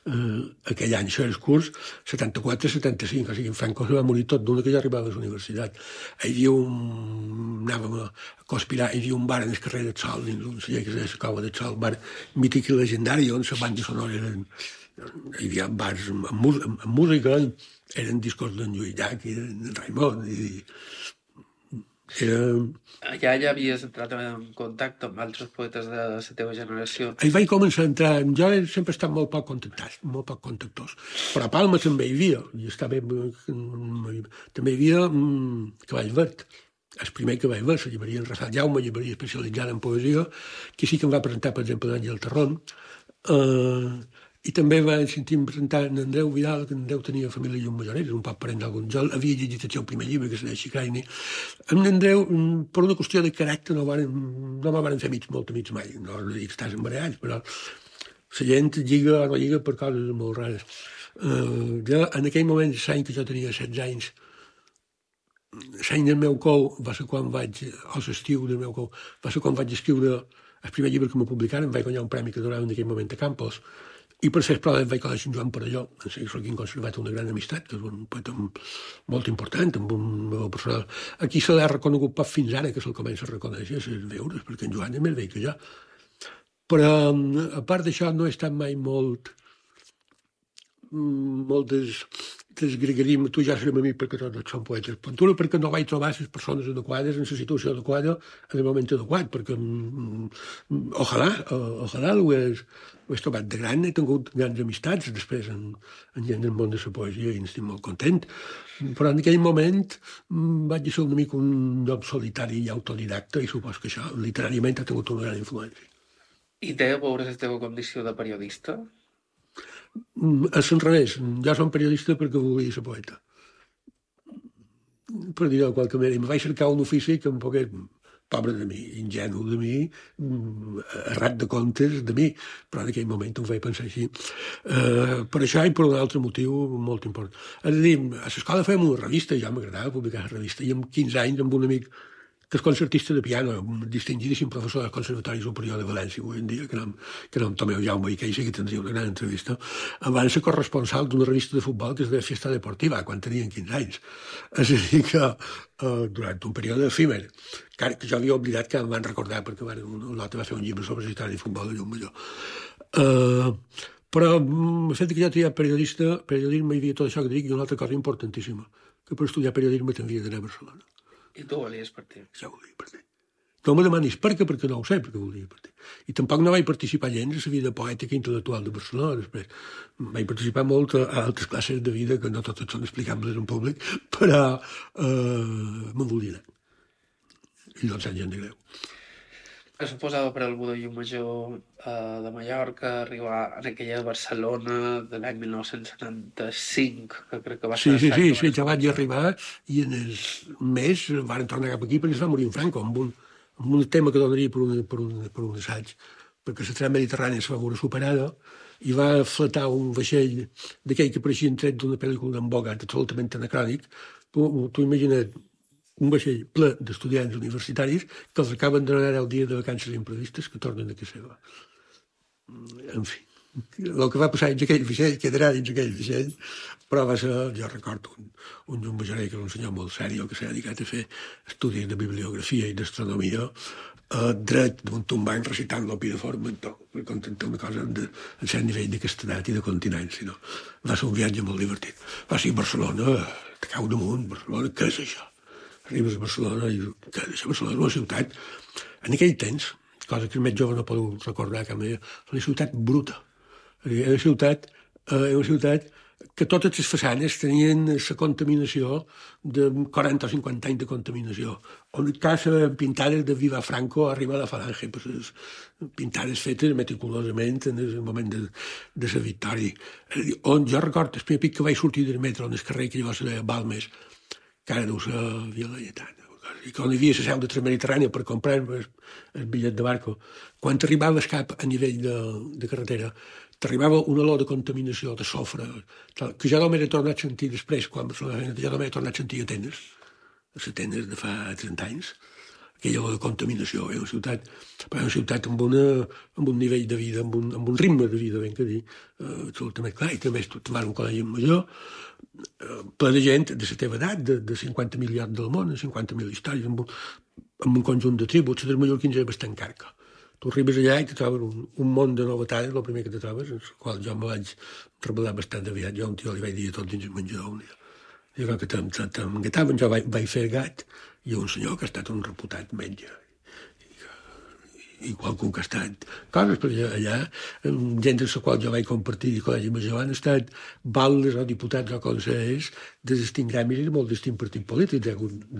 S4: uh, aquell any. Això era el curs setanta-quatre setanta-cinc, o sigui, en Franco se va morir tot d'una que ja arribava a la universitat. Hi havia un... anàvem a conspirar, hi havia un bar en el carrer del Sol, dins un celler que es deia la Cova del Sol, un bar mític i legendari, on la banda sonora eren... Hi havia bars amb, amb, amb, amb música, eren discos d'en Lluís Llach i d'en Raimon, i... Era...
S3: Allà ja havies entrat en contacte amb altres poetes de la teva generació.
S4: Hi vaig començar a entrar... Jo sempre he estat molt poc contactat, molt poc contactós. Però a Palma també hi havia. I estava... També hi havia um, Cavall Verd. El primer que vaig veure, la llibreria en Rassal Jaume, llibreria especialitzada en poesia, que sí que em va presentar, per exemple, l'Àngel Terrón. Uh, I també vaig sentir-me presentar en Andreu Vidal, que en Andreu tenia família i un majorès, un poc parent d'algun. Jo havia llegit el seu primer llibre, que se deia Xicraini. En Andreu, per una qüestió de caràcter, no, varen, no me van fer amics, molt amics mai. No dic que estàs embarallats, però la gent lliga o no lliga per coses molt rares. Uh, jo, en aquell moment, l'any que jo tenia setze anys, l'any del meu cou va ser quan vaig, o l'estiu del meu cou, va ser quan vaig escriure el primer llibre que m'ho publicaren, vaig guanyar un premi que donava en aquell moment a Campos, i per ser prova vaig conèixer en Joan Parelló, en seguir que he conservat una gran amistat, que és un poeta molt important, amb un meu personal. Aquí se l'ha reconegut poc fins ara, que se'l comença a reconèixer, a veure, perquè en Joan és més vell que jo. Però, a part d'això, no he estat mai molt... molt des... desgregarim, tu ja serem amics perquè tots són poetes. Puntura perquè no vaig trobar les persones adequades en la situació adequada en el moment adequat, perquè mm, ojalà, ojalà ho hagués, ho hagués trobat de gran, he tingut grans amistats després en, en gent del món de la poesia i estic molt content, però en aquell moment mm, vaig ser una mica un lloc solitari i autodidacta i supos que això literàriament ha tingut una gran influència.
S3: I té a veure la teva condició de periodista?
S4: És l'enrevés. Jo som periodista perquè volia ser poeta. Per dir-ho de qualque manera. Em vaig cercar un ofici que em pogués... Pobre de mi, ingenu de mi, errat de comptes de mi, però en aquell moment ho vaig pensar així. Uh, per això i per un altre motiu molt important. És a dir, a l'escola fèiem una revista, i ja m'agradava publicar la revista, i amb quinze anys amb un amic que és concertista de piano, un distingidíssim professor del Conservatori Superior de València avui en dia, que nom, que nom Tomeu Jaume i que sí que tindria una gran entrevista, em van ser corresponsal d'una revista de futbol que es deia Fiesta Deportiva, quan tenien quinze anys. És a dir que uh, durant un període efímer, que, que jo havia oblidat que em van recordar perquè van, un altre va fer un llibre sobre la història de futbol de Llumalló. Uh, però el fet que jo triat periodista, periodisme hi havia tot això que dic, i una altra cosa importantíssima, que per estudiar periodisme t'havia d'anar a Barcelona.
S3: I tu volies per ti?
S4: Ja ho dic per ti. No me demanis per què, perquè no ho sé, perquè volia partir. I tampoc no vaig participar gens a la vida poètica i intel·lectual de Barcelona. Després vaig participar molt a altres classes de vida que no totes són explicables en públic, però eh, me'n volia anar. I doncs anys de greu.
S3: Es suposava per algú de Llucmajor eh, de Mallorca arribar en aquella Barcelona de l'any mil nou-cents setanta-cinc, que crec que va ser...
S4: Sí, sí, sí, sí, ja vaig arribar i en el mes van tornar cap aquí perquè es va morir en Franco, amb un, amb un tema que donaria per un, per un, per un assaig, perquè la tram mediterrània se va veure superada i va fletar un vaixell d'aquell que pareixia tret d'una pel·lícula d'en Bogart, absolutament anacrònic. Tu, tu imagina't un vaixell ple d'estudiants universitaris que els acaben de donar el dia de vacances imprevistes que tornen a casa seva. En fi, el que va passar dins aquell vaixell quedarà dins aquell vaixell, però va ser, jo recordo, un, un jumbajaré que era un senyor molt sèrio que s'ha dedicat a fer estudis de bibliografia i d'astronomia, eh, dret d'un tombany recitant l'Opideforme, per contentar una cosa de, en cert nivell de castedat i de continència. No? Va ser un viatge molt divertit. Va ser a Barcelona, te cau damunt, Barcelona, què és això? Arribes a Barcelona i què és això? Barcelona és una ciutat, en aquell temps, cosa que els més joves no podeu recordar cap manera, una ciutat bruta. Era una ciutat, eh, una ciutat que totes les façanes tenien la contaminació de quaranta o cinquanta anys de contaminació. On casa pintades de Viva Franco arriba a la Falange, pues, pintades fetes meticulosament en el moment de, de la victòria. On jo recordo el primer pic que vaig sortir del metro en el carrer que llavors era Balmes, que ara deu ser Via Laietana, i quan hi havia la seu de Transmediterrània per comprar el, el bitllet de barco, quan t'arribaves cap a nivell de, de carretera, t'arribava una olor de contaminació, de sofre, que ja no m'he tornat a sentir després, quan ja no m'he tornat a sentir a Atenes, a Atenes de fa trenta anys, aquella olor de contaminació. És una ciutat, una ciutat amb, una, amb un nivell de vida, amb un, amb un ritme de vida, ben que dir, eh, absolutament clar. I també tu vas a un col·legi major, eh, ple de gent de la teva edat, de, de cinquanta mil llocs del món, cinquanta mil històries, amb un, amb un conjunt de tributs. La dels mallorquins era bastant carca. Tu arribes allà i te trobes un, un món de novetats, el primer que te trobes, en el qual jo me vaig rebel·lar bastant aviat. Jo un tio li vaig dir tot dins el menjador un dia. I que t'engataven, jo vaig, vaig fer gat, i un senyor que ha estat un reputat metge. I qualcú que ha estat coses, perquè allà, gent amb la qual jo vaig compartir i col·legi major han estat baldes o diputats o consellers de distints gremis i de molt distints partits polítics,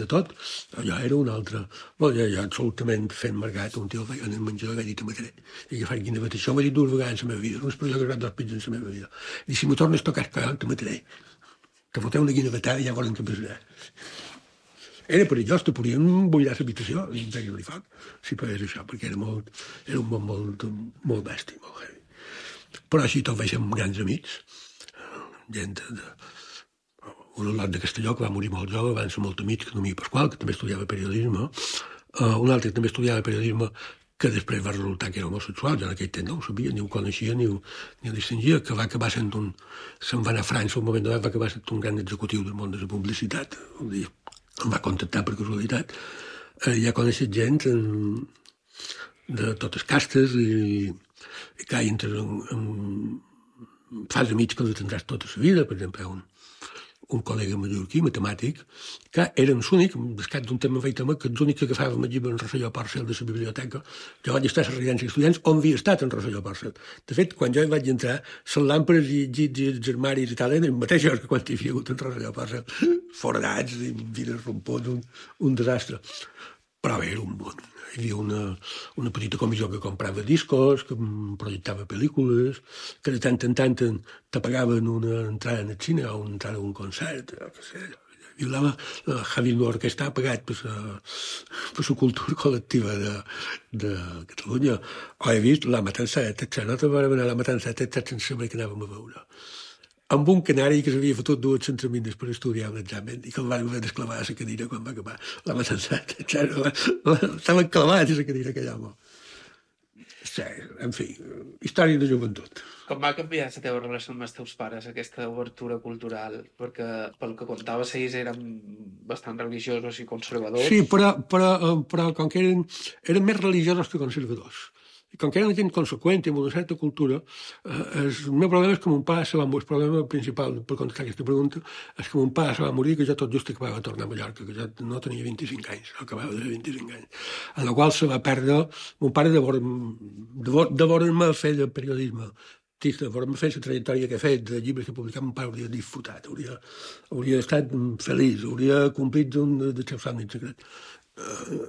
S4: de tot. Allò era un altre... Bon, jo, jo absolutament fent mercat, un tio en el menjador vaig dir, te mataré. I que faig quina bata. Això m'ha dit dues vegades en la meva vida, una expressió que ha dos pits en la meva vida. I si me tornes a tocar el collon, te mataré. Te foteu una guina batada i ja volen que passarà. Era perillós, te podien buidar l'habitació i treure-li foc, si pagués això, perquè era, molt, era un món molt, molt bèstia, molt heavy. Però així tot vaig ser grans amics, gent de... Un lot de Castelló, que va morir molt jove, van ser molt amics, que no m'hi Pasqual, que també estudiava periodisme, uh, un altre que també estudiava periodisme, que després va resultar que era homosexual, jo en aquell temps no ho sabia, ni ho coneixia, ni ho, ni ho distingia, que va acabar sent un... Se'n va anar a França, un moment donat va acabar sent un gran executiu del món de la publicitat, un dia em va contactar per casualitat. Eh, ja coneixes gent en, de totes castes i, i que entres en, en, fas amics que els tindràs tota la vida. Per exemple, un, un col·lega mallorquí, matemàtic, que era l'únic, descat d'un tema veig tema, que l'únic que agafava el llibre en Rosselló Porcel de la biblioteca. Jo vaig estar a la residència d'estudiants on havia estat en Rosselló Porcel. De fet, quan jo hi vaig entrar, les làmperes i llits i els armaris i tal eren els mateixos que quan hi havia hagut en Rosselló Porcel. Foradats i vines rompons, un, un desastre. Però bé, era un bon. Hi havia una, una petita comissió que comprava discos, que projectava pel·lícules, que de tant en tant te pagaven una entrada en el cine o una entrada a un concert, o què sé. Hi havia la Javi Nuor, que està pagat per la cultura col·lectiva de, de Catalunya. O he vist la Matanzeta, etcètera. No te vam anar a la Matanzeta, etcètera, sense saber què anàvem a veure. Amb un canari que s'havia fotut dues centramines per estudiar un examen i que el van haver d'esclavar a la cadira quan va acabar la Matanzeta, etcètera. Estaven clavats a la cadira aquell home. Sí, en fi, història de joventut.
S3: Com va canviar la teva relació amb els teus pares, aquesta obertura cultural? Perquè, pel que contaves, ells eren bastant religiosos i conservadors.
S4: Sí, però, però, però com que eren, eren més religiosos que conservadors. I com que era una gent conseqüent i amb una certa cultura, eh, el meu problema és que mon pare se va morir. El problema principal per contestar aquesta pregunta és que mon pare se va morir, que jo tot just acabava de tornar a Mallorca, que jo no tenia vint-i-cinc anys, no acabava de vint-i-cinc anys. En la qual se va perdre mon pare de veure'm fer de periodisme. De veure'm fer la trajectòria que he fet, de llibres que he publicat, mon pare hauria disfrutat, hauria, hauria estat feliç, hauria complit un dels seus somnis secrets. Uh,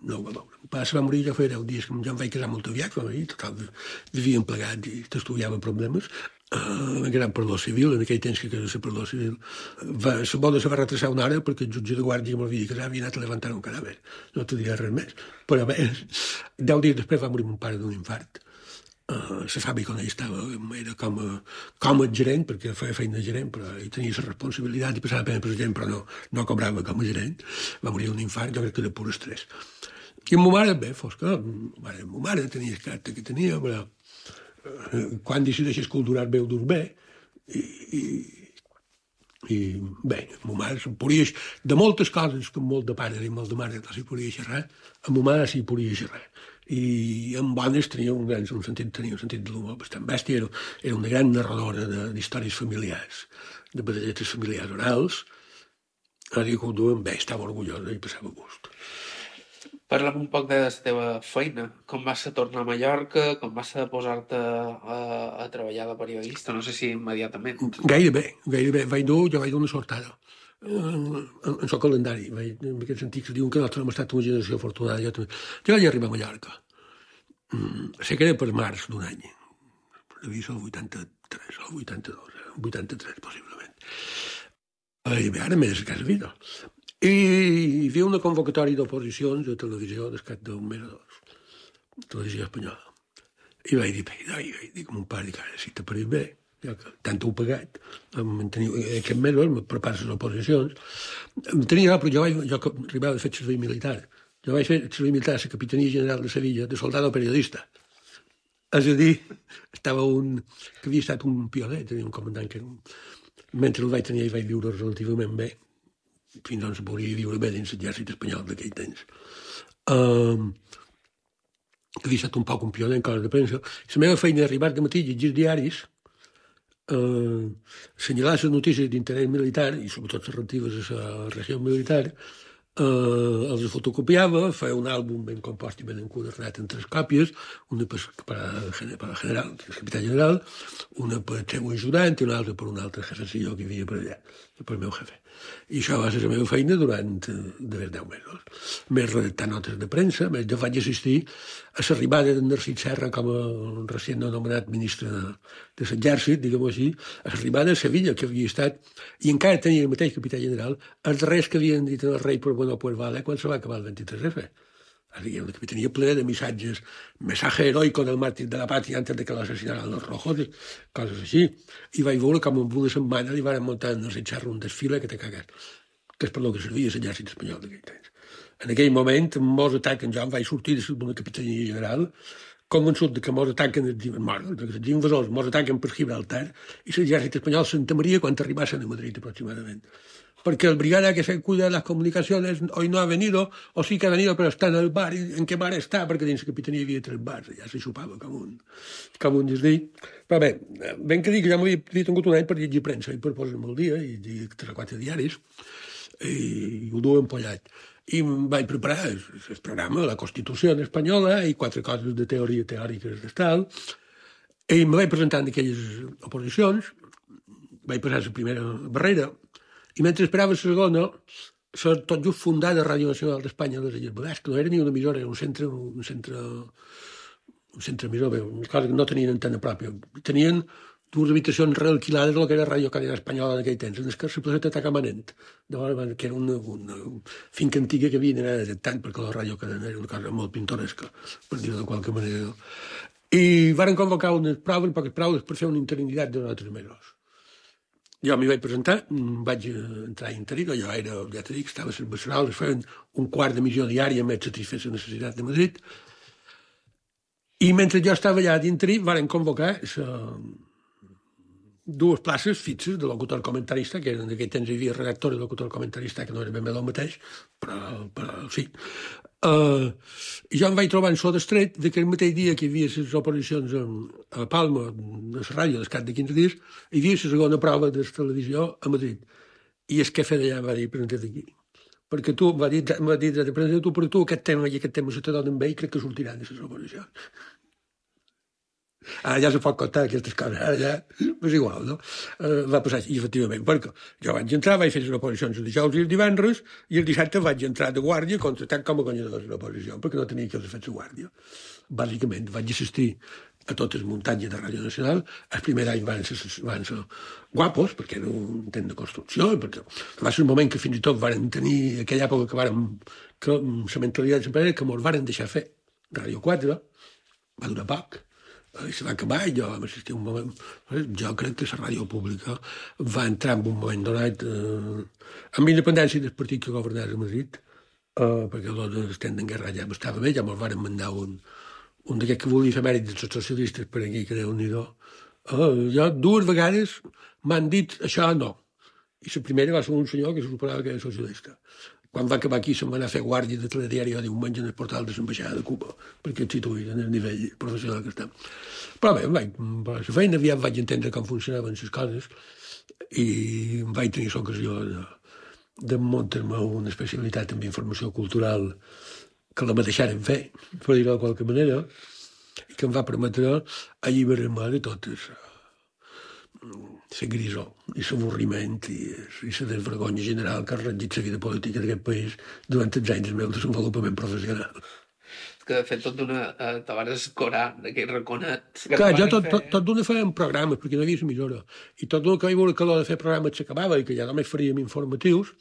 S4: no ho va veure. El pare se va morir, ja feia deu dies, que ja em vaig casar molt aviat, va morir, total, vivíem plegats i t'estudiava problemes. Uh, em quedava per lo civil, en aquell temps que quedava per lo civil. Va, la boda se va retrasar una hora perquè el jutge de guàrdia que m'havia casat havia anat a levantar un cadàver. No t'ho diré res més. Però bé, deu dies després va morir mon pare d'un infart. Uh, la fàbrica on ell estava era com a, com a gerent, perquè feia feina de gerent, però ell tenia la responsabilitat i passava pena per gerent, però no, no cobrava com a gerent. Va morir d'un infart, jo crec que de pur estrès. I amb ma mare, bé, fos que ma mare tenia el caràcter que tenia, però uh, quan decideixes culturar bé ho dus bé, i, i, i bé, ma mare se'n podia, de moltes coses que molt de pare i molt de mare no s'hi podia xerrar, amb ma mare s'hi podia xerrar. I en bones tenia un gran un sentit, tenia un sentit de l'humor bastant bèstia, era, era una gran narradora d'històries familiars, de batalletes familiars orals, ara que ho duen bé, estava orgullosa i passava gust.
S3: Parla'm un poc de la teva feina, com vas a tornar a Mallorca, com vas a posar-te a, a treballar de periodista, no sé si immediatament.
S4: Gairebé, gairebé, vaig dur, jo vaig dur una sortada. En, en el calendari, en aquest sentit que diuen que nosaltres hem estat una generació afortunada. Jo, també. Jo vaig arribar a Mallorca. Mm, sé que era per març d'un any. Devia ser el vuitanta-tres o el vuitanta-dos, el vuitanta-tres possiblement. I bé, ara m'he de casa vida. I hi havia una convocatòria d'oposicions a televisió d'escat d'un mes o dos. Televisió espanyola. I vaig dir, vaig dir com un pare, dic, ara si t'ha parit bé, ja que tant ho he pagat, aquests mesos me preparo les oposicions. Tenia, però jo, vaig, jo arribava a fer servei militar. Jo vaig fer servei militar a la Capitania General de Sevilla, de soldado periodista. És a dir, estava un... que havia estat un pioner, tenia un comandant que era un... Mentre el vaig tenir, ell vaig viure relativament bé, fins on se podria viure bé dins l'exèrcit espanyol d'aquell temps. Um, que havia estat un poc un pioner en coses de premsa. La meva feina d'arribar de matí, llegir diaris, Uh, assenyalar les notícies d'interès militar i sobretot les relatives a la regió militar, uh, els fotocopiava, feia un àlbum ben compost i ben enquadernat en tres còpies, una per, per, per el general, el capità general, una per el seu ajudant i una altra per un altre jefecillo que hi havia per allà, per el meu jefe. I això va ser la meva feina durant de deu mesos. Més redactar notes de premsa, més jo vaig assistir a l'arribada d'en Narcís Serra com a recient anomenat ministre de, de l'exèrcit, diguem-ho així, a l'arribada a Sevilla, que havia estat, i encara tenia el mateix capità general, els darrers que havien dit al rei per bueno pues vale quan se va acabar el vint-i-tres efe. Hi ha una capitania plena de missatges, mensaje heroico del màrtir de la pàtria antes de que l'assasinaran los rojos, coses així. I vaig veure com en una setmana li van muntar en el Serra un desfile que te cagues, que és per lo que servia l'exèrcit espanyol d'aquell temps. En aquell moment mos ataquen, jo em vaig sortir d'una capitania general convençut que mos ataquen els invasors, mos ataquen per Gibraltar i l'exèrcit espanyol s'entamaria quan arribassen a Madrid aproximadament. Porque el brigada que se cuida de las comunicaciones hoy no ha venido, o sí que ha venido, pero está en el bar. ¿En qué bar està? Perquè dins la capitania hi havia tres bars, ja se xupava com un, com un desdí. Però bé, ben que dic que ja m'havia tingut un any per llegir premsa i per posar-me al dia, i llegir tres o quatre diaris, i ho duo empollat. I em vaig preparar el, el programa, la Constitució espanyola, i quatre coses de teoria teòriques d'estal, i me vaig presentar en aquelles oposicions, vaig passar la primera barrera, i mentre esperava la segona, la tot just fundada Ràdio Nacional d'Espanya a les Illes Balears, que no era ni una emissora, era un centre, un centre, un centre emissor, una cosa que no tenien antena pròpia. Tenien dues habitacions realquilades del que era Ràdio Cadena Espanyola en aquell temps, en el que la placeta Tacamanent, que era una, una finca antiga que havien anat tant, perquè la Ràdio Cadena era una cosa molt pintoresca, per dir-ho de qualque manera. I varen convocar unes proves, poques proves, per fer una interinitat de altres mesos. Jo m'hi vaig presentar, vaig entrar a interí, jo era, ja t'he dit, estava a les Besserals, es feien un quart d'emissió diària més satisfer la necessitat de Madrid, i mentre jo estava allà d'interí, varen convocar la dues places fixes de locutor comentarista, que en aquell temps hi havia redactor i locutor comentarista, que no era ben bé el mateix, però, però sí. Uh, I jo em vaig trobar en so d'estret de que el mateix dia que hi havia les oposicions a Palma, a la ràdio, al cap de quinze dies, hi havia la segona prova de televisió a Madrid. I el jefe d'allà em va dir, presenta't aquí. Perquè tu, va dir, va dir, presenta't tu, però tu aquest tema i aquest tema se te donen bé i crec que sortiran de les oposicions. Ara ja se pot contar aquestes coses, ara ja és igual, no? Uh, va passar així, efectivament, perquè jo vaig entrar, vaig fer les oposicions el dijous i el divendres, i el dissabte vaig entrar de guàrdia contratant com a guanyador de l'oposició, perquè no tenia que haver fet la guàrdia. Bàsicament, vaig assistir a totes les muntanyes de Ràdio Nacional. El primer any van ser, van ser guapos, perquè era un temps de construcció, perquè va ser un moment que fins i tot varen tenir, aquella època que varen, que la mentalitat sempre era que mos varen deixar fer Ràdio quatre, va durar poc, i se va acabar, i jo vam assistir un moment. Jo crec que la ràdio pública va entrar en un moment donat eh, amb independència del partit que governava a Madrid, eh, perquè el temps en guerra ja estava bé, ja me'ls varen mandar un, un d'aquests que volia fer mèrit dels socialistes per aquí, que Déu-n'hi-do. Eh, jo dues vegades m'han dit això no. I la primera va ser un senyor que se suposava que era socialista. Quan va acabar aquí se'm va anar a fer guàrdia de telediari el diumenge en el portal de l'ambaixada de Cuba, perquè et situïs en el nivell professional que estem. Però bé, vaig, per la feina aviat vaig entendre com funcionaven les coses i vaig tenir l'ocasió de, de muntar-me una especialitat en informació cultural que la me deixaren fer, per dir-ho de qualque manera, i que em va permetre alliberar-me de totes la grisor i l'avorriment i la desvergonya general que ha regit la vida política d'aquest país durant els anys del meu desenvolupament professional.
S3: Que de fet tot d'una... Eh, te vas escorar d'aquell raconet...
S4: Clar, jo tot, tot, tot d'una fèiem programes, perquè no hi havia l'emissora, i tot d'una que vaig veure que l'hora de fer programes s'acabava i que ja només faríem informatius,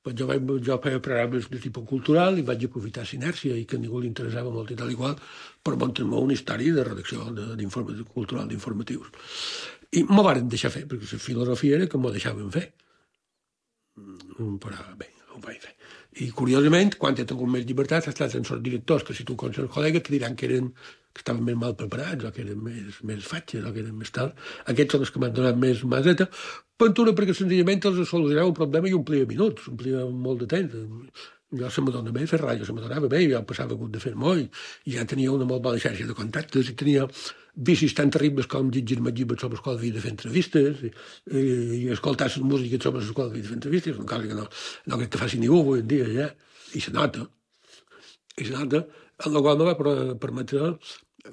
S4: pues jo, vaig, jo feia programes de tipus cultural i vaig aprofitar l'inèrcia i que a ningú li interessava molt i tal i qual per muntar-me una història de redacció de, cultural d'informatius. I m'ho varen deixar fer, perquè la filosofia era que m'ho deixaven fer. Però bé, ho vaig fer. I curiosament, quan he tingut més llibertat, ha estat en els directors que si tu coneixes els col·legues te diran que eren que estaven més mal preparats, o que eren més, més fatxes, o que eren més tal. Aquests són els que m'han donat més maseta. Pentura perquè senzillament els solucionava un problema i omplia minuts, omplia molt de temps. Jo se m'adona bé fer ràdio, se m'adonava bé, jo passava hagut de fer molt, i ja tenia una molt bona xarxa de contactes, i tenia vicis tan terribles com llegir-me llibres sobre els quals havia de fer entrevistes, i, i, i escoltar les músiques sobre les quals havia de fer entrevistes, una cosa que no, no crec que faci ningú avui en dia, ja, i se nota, i se nota, en la qual me va permetre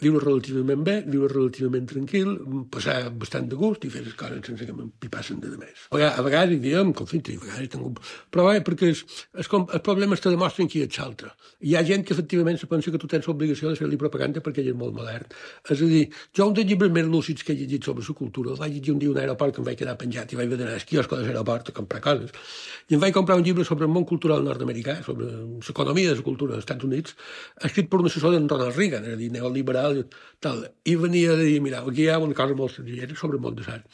S4: viure relativament bé, viure relativament tranquil, passar bastant de gust i fer les coses sense que m'empipassen de més. A vegades hi diem conflicte, a vegades tinc... Però bé, perquè els, els, els problemes te demostren qui ets l'altre. Hi ha gent que efectivament se pensa que tu tens l'obligació de fer-li propaganda perquè ell és molt modern. És a dir, jo un dels llibres més lúcids que he llegit sobre la cultura, el vaig llegir un dia a un aeroport que em vaig quedar penjat i vaig haver d'anar al quiosco de l'aeroport a comprar coses. I em vaig comprar un llibre sobre el món cultural nord-americà, sobre l'economia de la cultura dels Estats Units, escrit per un assessor d'en Ronald Reagan, és a dir, neoliberal, tal. I venia a dir, mira, aquí hi ha una cosa molt senzilla sobre el món de l'art.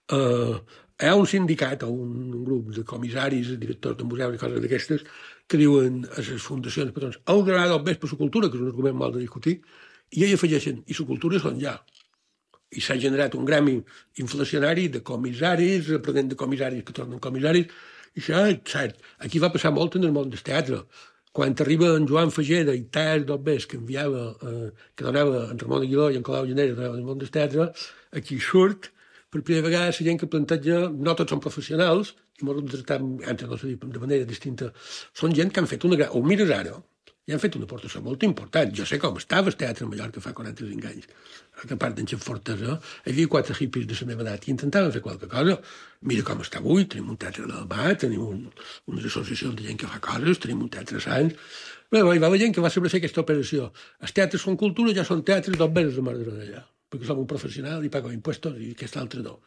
S4: Uh, hi ha un sindicat o un grup de comissaris, directors de museus i coses d'aquestes que diuen a les fundacions patrons heu d'anar del més per la cultura, que és un argument mal de discutir, i ells afegeixen, i la cultura són ja. I s'ha generat un gremi inflacionari de comissaris, aprenent de comissaris que tornen comissaris, i això és cert. Aquí va passar molt en el món del teatre. Quan arriba en Joan Fageda i Tàs d'Obbés, que enviava, eh, que donava en Ramon Aguiló i en Colau Llanera, donaven el món del teatre, aquí surt, per primera vegada, la gent que planteja, no tots són professionals, i molts de tractar, antes no s'ha dit de manera distinta, són gent que han fet una gran... Ho mires ara, i han fet una aportació molt important. Jo sé com estava el teatre a Mallorca fa quaranta-cinc anys, que a part d'en Xef Fortesa, hi havia quatre hippies de la meva edat i intentaven fer qualque cosa. Mira com està avui, tenim un teatre del Mar, tenim un, unes associacions de gent que fa coses, tenim un teatre Sants... Bé, hi va la gent que va saber fer aquesta operació. Els teatres són cultura, ja són teatres d'obveres de Mare d'allà, perquè som un professional i pago impuestos i aquest altre no.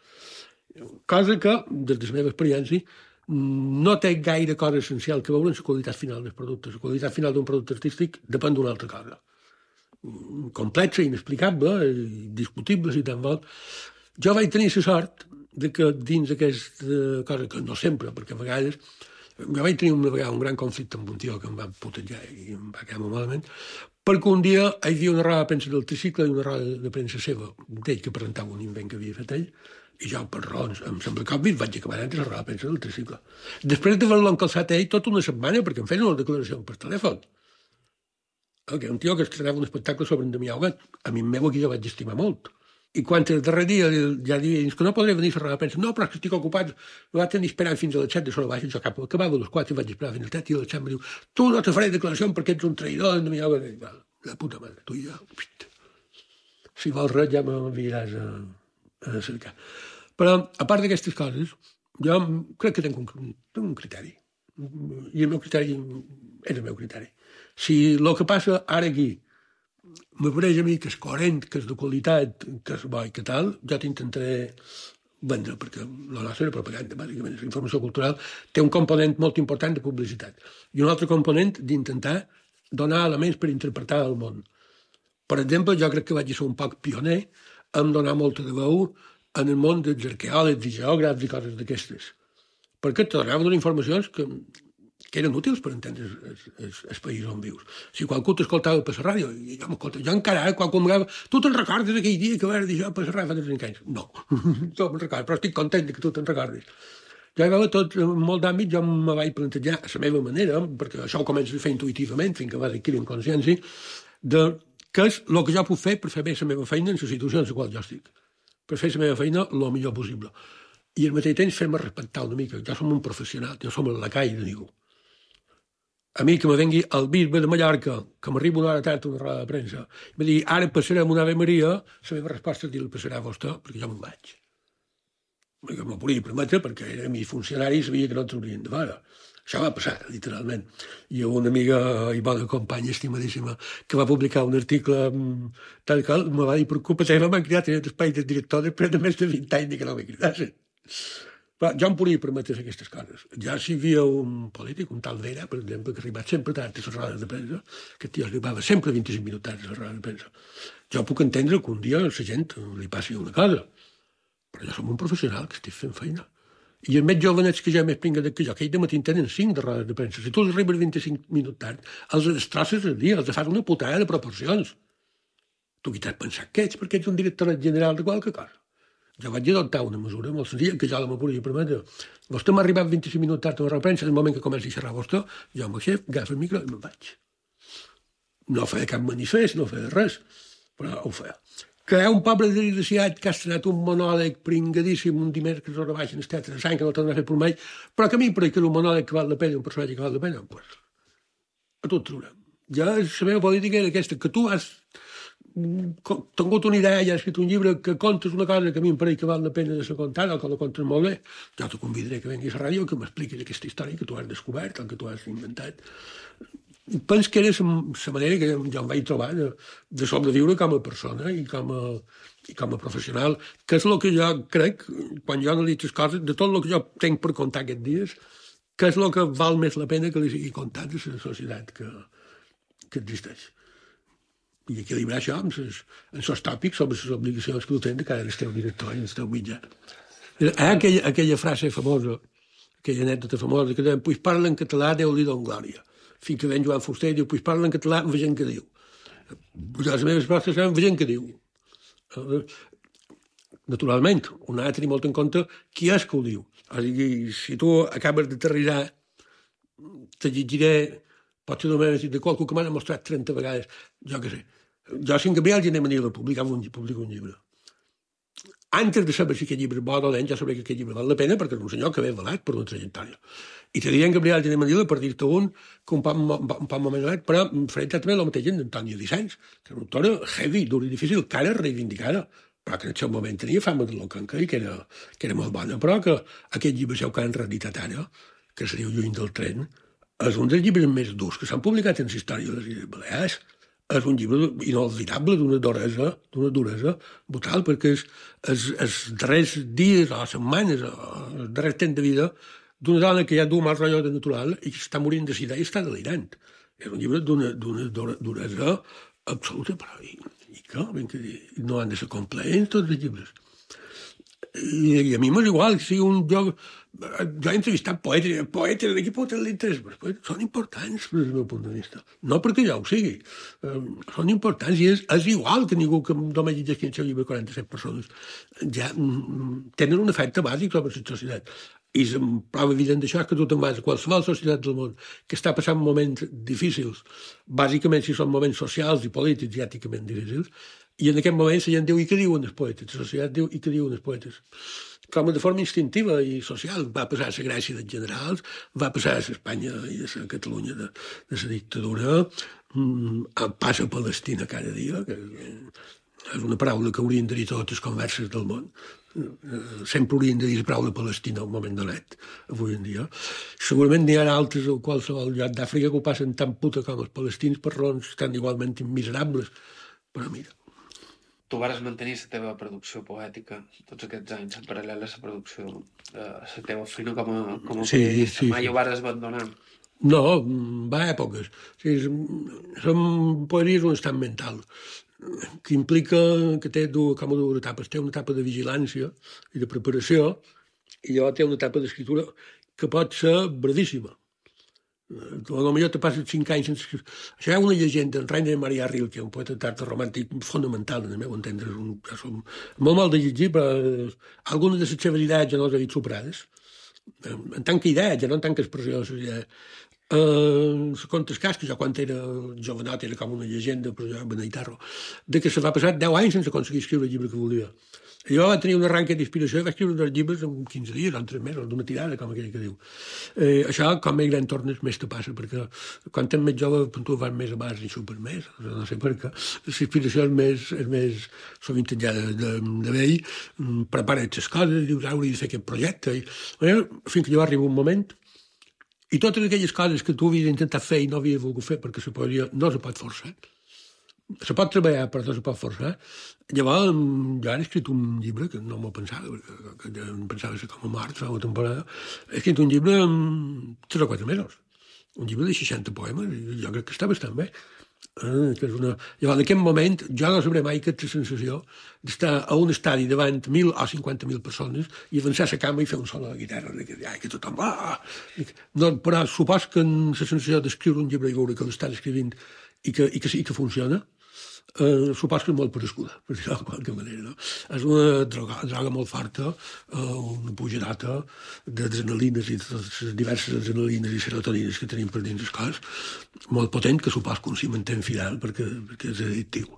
S4: Cosa que, des de la meva experiència, no té gaire cosa essencial que veure en la qualitat final dels productes. La qualitat final d'un producte artístic depèn d'una altra cosa. Complexa, inexplicable, discutible, si tan vol. Jo vaig tenir la sort de que dins aquesta cosa, que no sempre, perquè a vegades jo vaig tenir una vegada un gran conflicte amb un tio que em va putejar i em va quedar molt malament, perquè un dia hi havia una roda de premsa del tricicle i una roda de premsa seva, d'ell que presentava un invent que havia fet ell, i jo, per raons, em sembla que obvi, vaig acabar entre la roda de premsa del tricicle. Després d'haver-lo encalçat ell tota una setmana, perquè em feien una declaració per telèfon. Que era un tio que estrenava un espectacle sobre en Damià Huguet. A mi meu aquí jo vaig estimar molt. I quan el darrer dia ja diria que no podré venir a la roda de premsa, no, però és que estic ocupat, ho vaig tenir esperant fins a les set de sola baixa, jo cap, acabava a les quatre i vaig esperar fins a les set i a les set em diu, tu no te faré declaració perquè ets un traïdor en Damià Huguet. La puta mare, tu i jo. Si vols res ja m'enviaràs a, a cercar. Però, a part d'aquestes coses, jo crec que tinc un, tinc un criteri. I el meu criteri és el meu criteri. Si el que passa ara aquí m'apareix a mi que és coherent, que és de qualitat, que és bo i que tal, jo t'intentaré vendre, perquè la nostra era propaganda, bàsicament. La informació cultural té un component molt important de publicitat i un altre component d'intentar donar elements per interpretar el món. Per exemple, jo crec que vaig ser un poc pioner en donar molta de veu en el món dels arqueòlegs i geògrafs i coses d'aquestes, perquè te donaven unes informacions que que eren útils per entendre el, el, el país on vius. Si qualcú t'escoltava per la ràdio, i jo m'escolta, jo encara, qualcú m'agava, tu te'n recordes d'aquell dia que vas dir jo per la ràdio fa trenta anys? No, no me'n recordo, però estic content que tu te'n recordis. Jo hi veure tot, en molt d'àmbit, jo me vaig plantejar a la meva manera, perquè això ho començo a fer intuïtivament, fins que vas adquirir consciència, de què és el que jo puc fer per fer bé la meva feina en la situació en la qual jo estic. Per fer la meva feina el millor possible. I al mateix temps fer-me respectar una mica. Jo som un professional, jo som el lacai de ningú. A mi que me vengui el bisbe de Mallorca, que m'arriba una hora tard a una roda de premsa, i me digui, ara passarem una Ave Maria, la meva resposta és dir-li, passarà a vostè, perquè jo me'n vaig. Perquè m'ho podia permetre, perquè era mi funcionari i sabia que no ens haurien de veure. Això va passar, literalment. I una amiga i bona companya, estimadíssima, que va publicar un article tal qual, me va dir, per culpa teva m'han cridat en l'espai del director després de més de vint anys que no m'he cridat. Però jo em podia permetre aquestes coses. Ja si hi havia un polític, un tal Vera, per exemple, que arribava sempre tard a les rodes de premsa, que tio arribava sempre vint-i-cinc minuts tard a les rodes de premsa. Jo puc entendre que un dia a la gent li passi una cosa, però jo som un professional que estic fent feina. I els més jovenets que ja més pinga que jo, que ells de matí tenen cinc de rodes de premsa. Si tu els arribes vint-i-cinc minuts tard, els destrosses el dia, els fas una putada de proporcions. Tu qui t'has pensat que ets, perquè ets un director general de qualque cosa. Jo vaig adoptar una mesura molt senzilla, que jo la me podia permetre. Vostè m'ha arribat vint-i-cinc minuts tard a la premsa, en el moment que comenci a xerrar vostè, jo amb el xef, agafa el micro i me'n vaig. No feia cap manifest, no feia res, però ho feia. Que hi ha un pobre desgraciat que ha estrenat un monòleg pringadíssim un dimecres a la baixa en el teatre de Sant, que no torna a fer per mai, però que a mi em pareix que és un monòleg que val la pena, un personatge que val la pena, pues, a tot traurem. Ja la meva política era aquesta, que tu has tingut una idea i has escrit un llibre que contes una cosa que a mi em pareix que val la pena de ser contada o que la contes molt bé, jo te convidaré que vinguis a la ràdio que m'expliquis aquesta història que tu has descobert o que tu has inventat. Penso que era la manera que jo em vaig trobar de, de sobreviure com a persona i com a, i com a professional, que és el que jo crec, quan jo analitzo les coses, de tot el que jo tinc per contar aquests dies, que és el que val més la pena que li sigui contat a la societat que, que existeix. I equilibrar això amb els tòpics sobre les obligacions que tu tens de cara al teu director i al teu mitjà. Hi ha aquella, aquella frase famosa, aquella anècdota famosa, que diuen, pues parla en català, Déu-li don glòria. Fins que ven Joan Fuster i diu, pues parla en català, vegem què diu. Pues les meves respostes seran, vegem què diu. Naturalment, un ha de tenir molt en compte qui és que ho diu. O sigui, si tu acabes d'aterrissar, te llegiré potser només de qualcú que m'ha demostrat trenta vegades, jo què sé. Jo, si en Gabriel Gené Manila publicava un, publica un llibre. Antes de saber si aquest llibre és bo o dolent, ja sabré que aquest llibre val la pena perquè és un senyor que ve avalat per una trajectòria. I te diré en Gabriel Gené Manila, per dir-te un, que un poc, un poc moment avalat, però faré exactament el mateix en Antònia Vicens, que és una autora heavy, dura i difícil, cara reivindicada, però que en el seu moment tenia fama de locanca i que era, que era molt bona, però que aquest llibre seu que han reeditat ara, que se diu Lluny del tren, és un dels llibres més durs que s'han publicat en la història de les Illes Balears. És un llibre inolvidable d'una duresa, d'una duresa brutal, perquè és, és, els darrers dies o setmanes, o els darrers temps de vida d'una dona que ja du mal rotllo de natural i que està morint de sida i està delirant. És un llibre d'una duresa absoluta, però i, i que, ben que no han de ser complets tots els llibres. I, i a mi m'és igual, si un joc... Jo he entrevistat poetes, poetes d'aquí pot tenir l'interès, però són importants des del meu punt de vista. No perquè jo ho sigui, eh, són importants i és, és igual que ningú que només llegeixi el seu llibre quaranta-set persones. Ja mm, tenen un efecte bàsic sobre la societat. I la prova evident d'això és que tu te'n vas a qualsevol societat del món que està passant moments difícils, bàsicament si són moments socials i polítics i èticament difícils, i en aquest moment la gent diu i què diuen els poetes, la societat diu i què diuen els poetes. Com de forma instintiva i social. Va passar a la Grècia dels generals, va passar a l'Espanya i a la Catalunya de, de la dictadura, mm, passa a Palestina cada dia, que és una paraula que haurien de dir totes les converses del món. Sempre haurien de dir la paraula Palestina a un moment donat, avui en dia. Segurament n'hi ha altres a qualsevol lloc d'Àfrica que ho passen tan puta com els palestins per raons tan igualment miserables. Però mira...
S3: Tu vares mantenir la teva producció poètica tots aquests anys, en paral·lel a la producció, a la teva feina com a, com a
S4: sí,
S3: periodista.
S4: Sí,
S3: Mai
S4: sí.
S3: ho vares abandonar?
S4: No, va a èpoques. O sigui, som poesia és un estat mental que implica que té dues, com a dues etapes. Té una etapa de vigilància i de preparació i llavors té una etapa d'escriptura que pot ser verdíssima. A lo millor te passes cinc anys sense... Això hi ha una llegenda, en Rainer Maria Rilke, un poeta tard romàntic fonamental, en el meu entendre. És un, és un, molt mal de llegir, però algunes de les seves idees ja no les he vist superades. En tant que idea, ja no en tant que expressió de les idees. Uh, contes cas, que jo quan era jovenot era com una llegenda, però jo beneïtarro, de que se va passar deu anys sense aconseguir escriure el llibre que volia. I jo va tenir un arranque d'inspiració i vaig escriure dos llibres en quinze dies o en tres mesos, d'una tirada, com aquell que diu. Eh, això, com més gran tornes, més te passa, perquè quan ets més jove, tu vas més a bars i xupes més, no sé per què. L'inspiració és més, és més sovint ja de, de, de vell, prepara't les coses, dius, hauria de fer aquest projecte, i, eh, fins que jo arriba un moment, i totes aquelles coses que tu havies intentat fer i no havies volgut fer, perquè la poesia no se pot forçar, se pot treballar, però no se pot forçar. Llavors, jo ara he escrit un llibre que no m'ho pensava, perquè que em pensava ser com a mort fa una temporada. He escrit un llibre en tres o quatre mesos. Un llibre de seixanta poemes, i jo crec que està bastant bé. Eh, que és una... Llavors, en aquest moment, jo no sabré mai aquesta sensació d'estar a un estadi davant mil o cinquanta mil persones i avançar a la cama i fer un solo de guitarra, que, ai, que tothom... Ah! No, però supos que la sensació d'escriure un llibre i veure que l'estàs escrivint i que, i que sí que funciona, eh, supos que és molt parescuda, per dir-ho de qualque manera. No? És una droga, droga molt forta, eh, una pujadota d'adrenalines i de totes les diverses adrenalines i serotonines que tenim per dins el cos, molt potent, que supos que un s'hi manté fidel perquè, perquè és addictiu.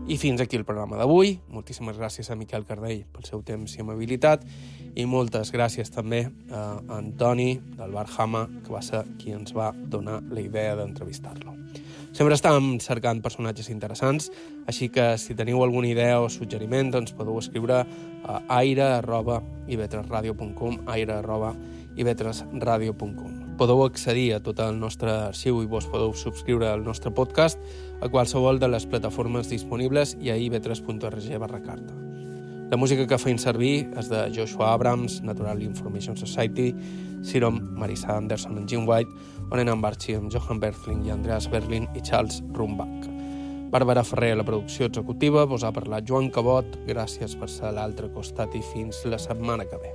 S3: I fins aquí el programa d'avui. Moltíssimes gràcies a Miquel Cardell pel seu temps i amabilitat i moltes gràcies també a Antoni del Bar Hama, que va ser qui ens va donar la idea d'entrevistar-lo. Sempre estàvem cercant personatges interessants, així que si teniu alguna idea o suggeriment ens podeu escriure a aire arroba i vetres ràdio punt com, aire arroba i vetres ràdio punt com. Podeu accedir a tot el nostre arxiu i vos podeu subscriure al nostre podcast a qualsevol de les plataformes disponibles i a i vetres punt org barra carta. La música que feim servir és de Joshua Abrams, Natural Information Society, Sirom, Marisa Anderson i Jim White, Onenan Barchi amb Johan Berthling i Andreas Berlin i Charles Rumbach. Bàrbara Ferrer a la producció executiva, vos ha parlat Joan Cabot, gràcies per ser a l'altre costat i fins la setmana que ve.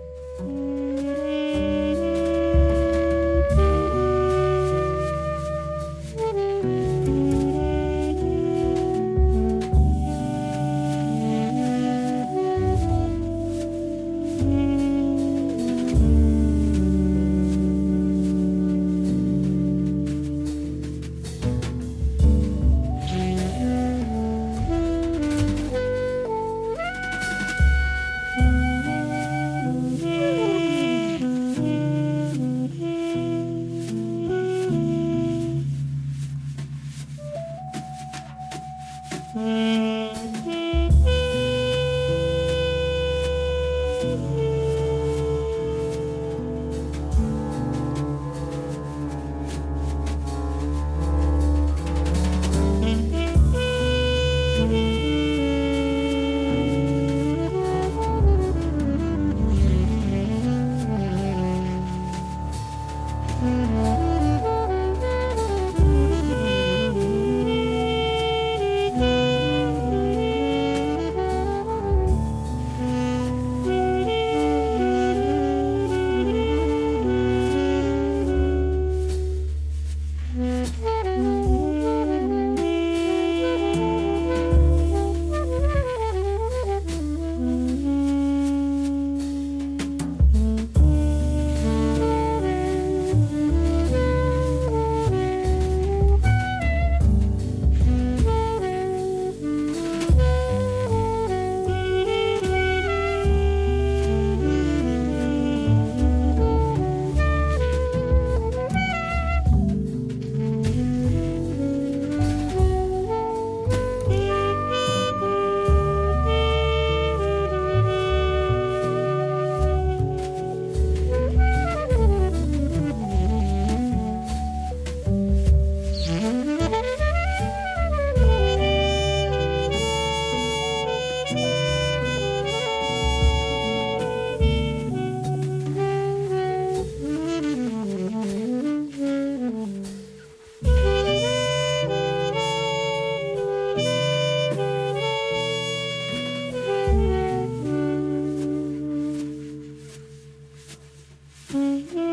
S9: Mm-hmm.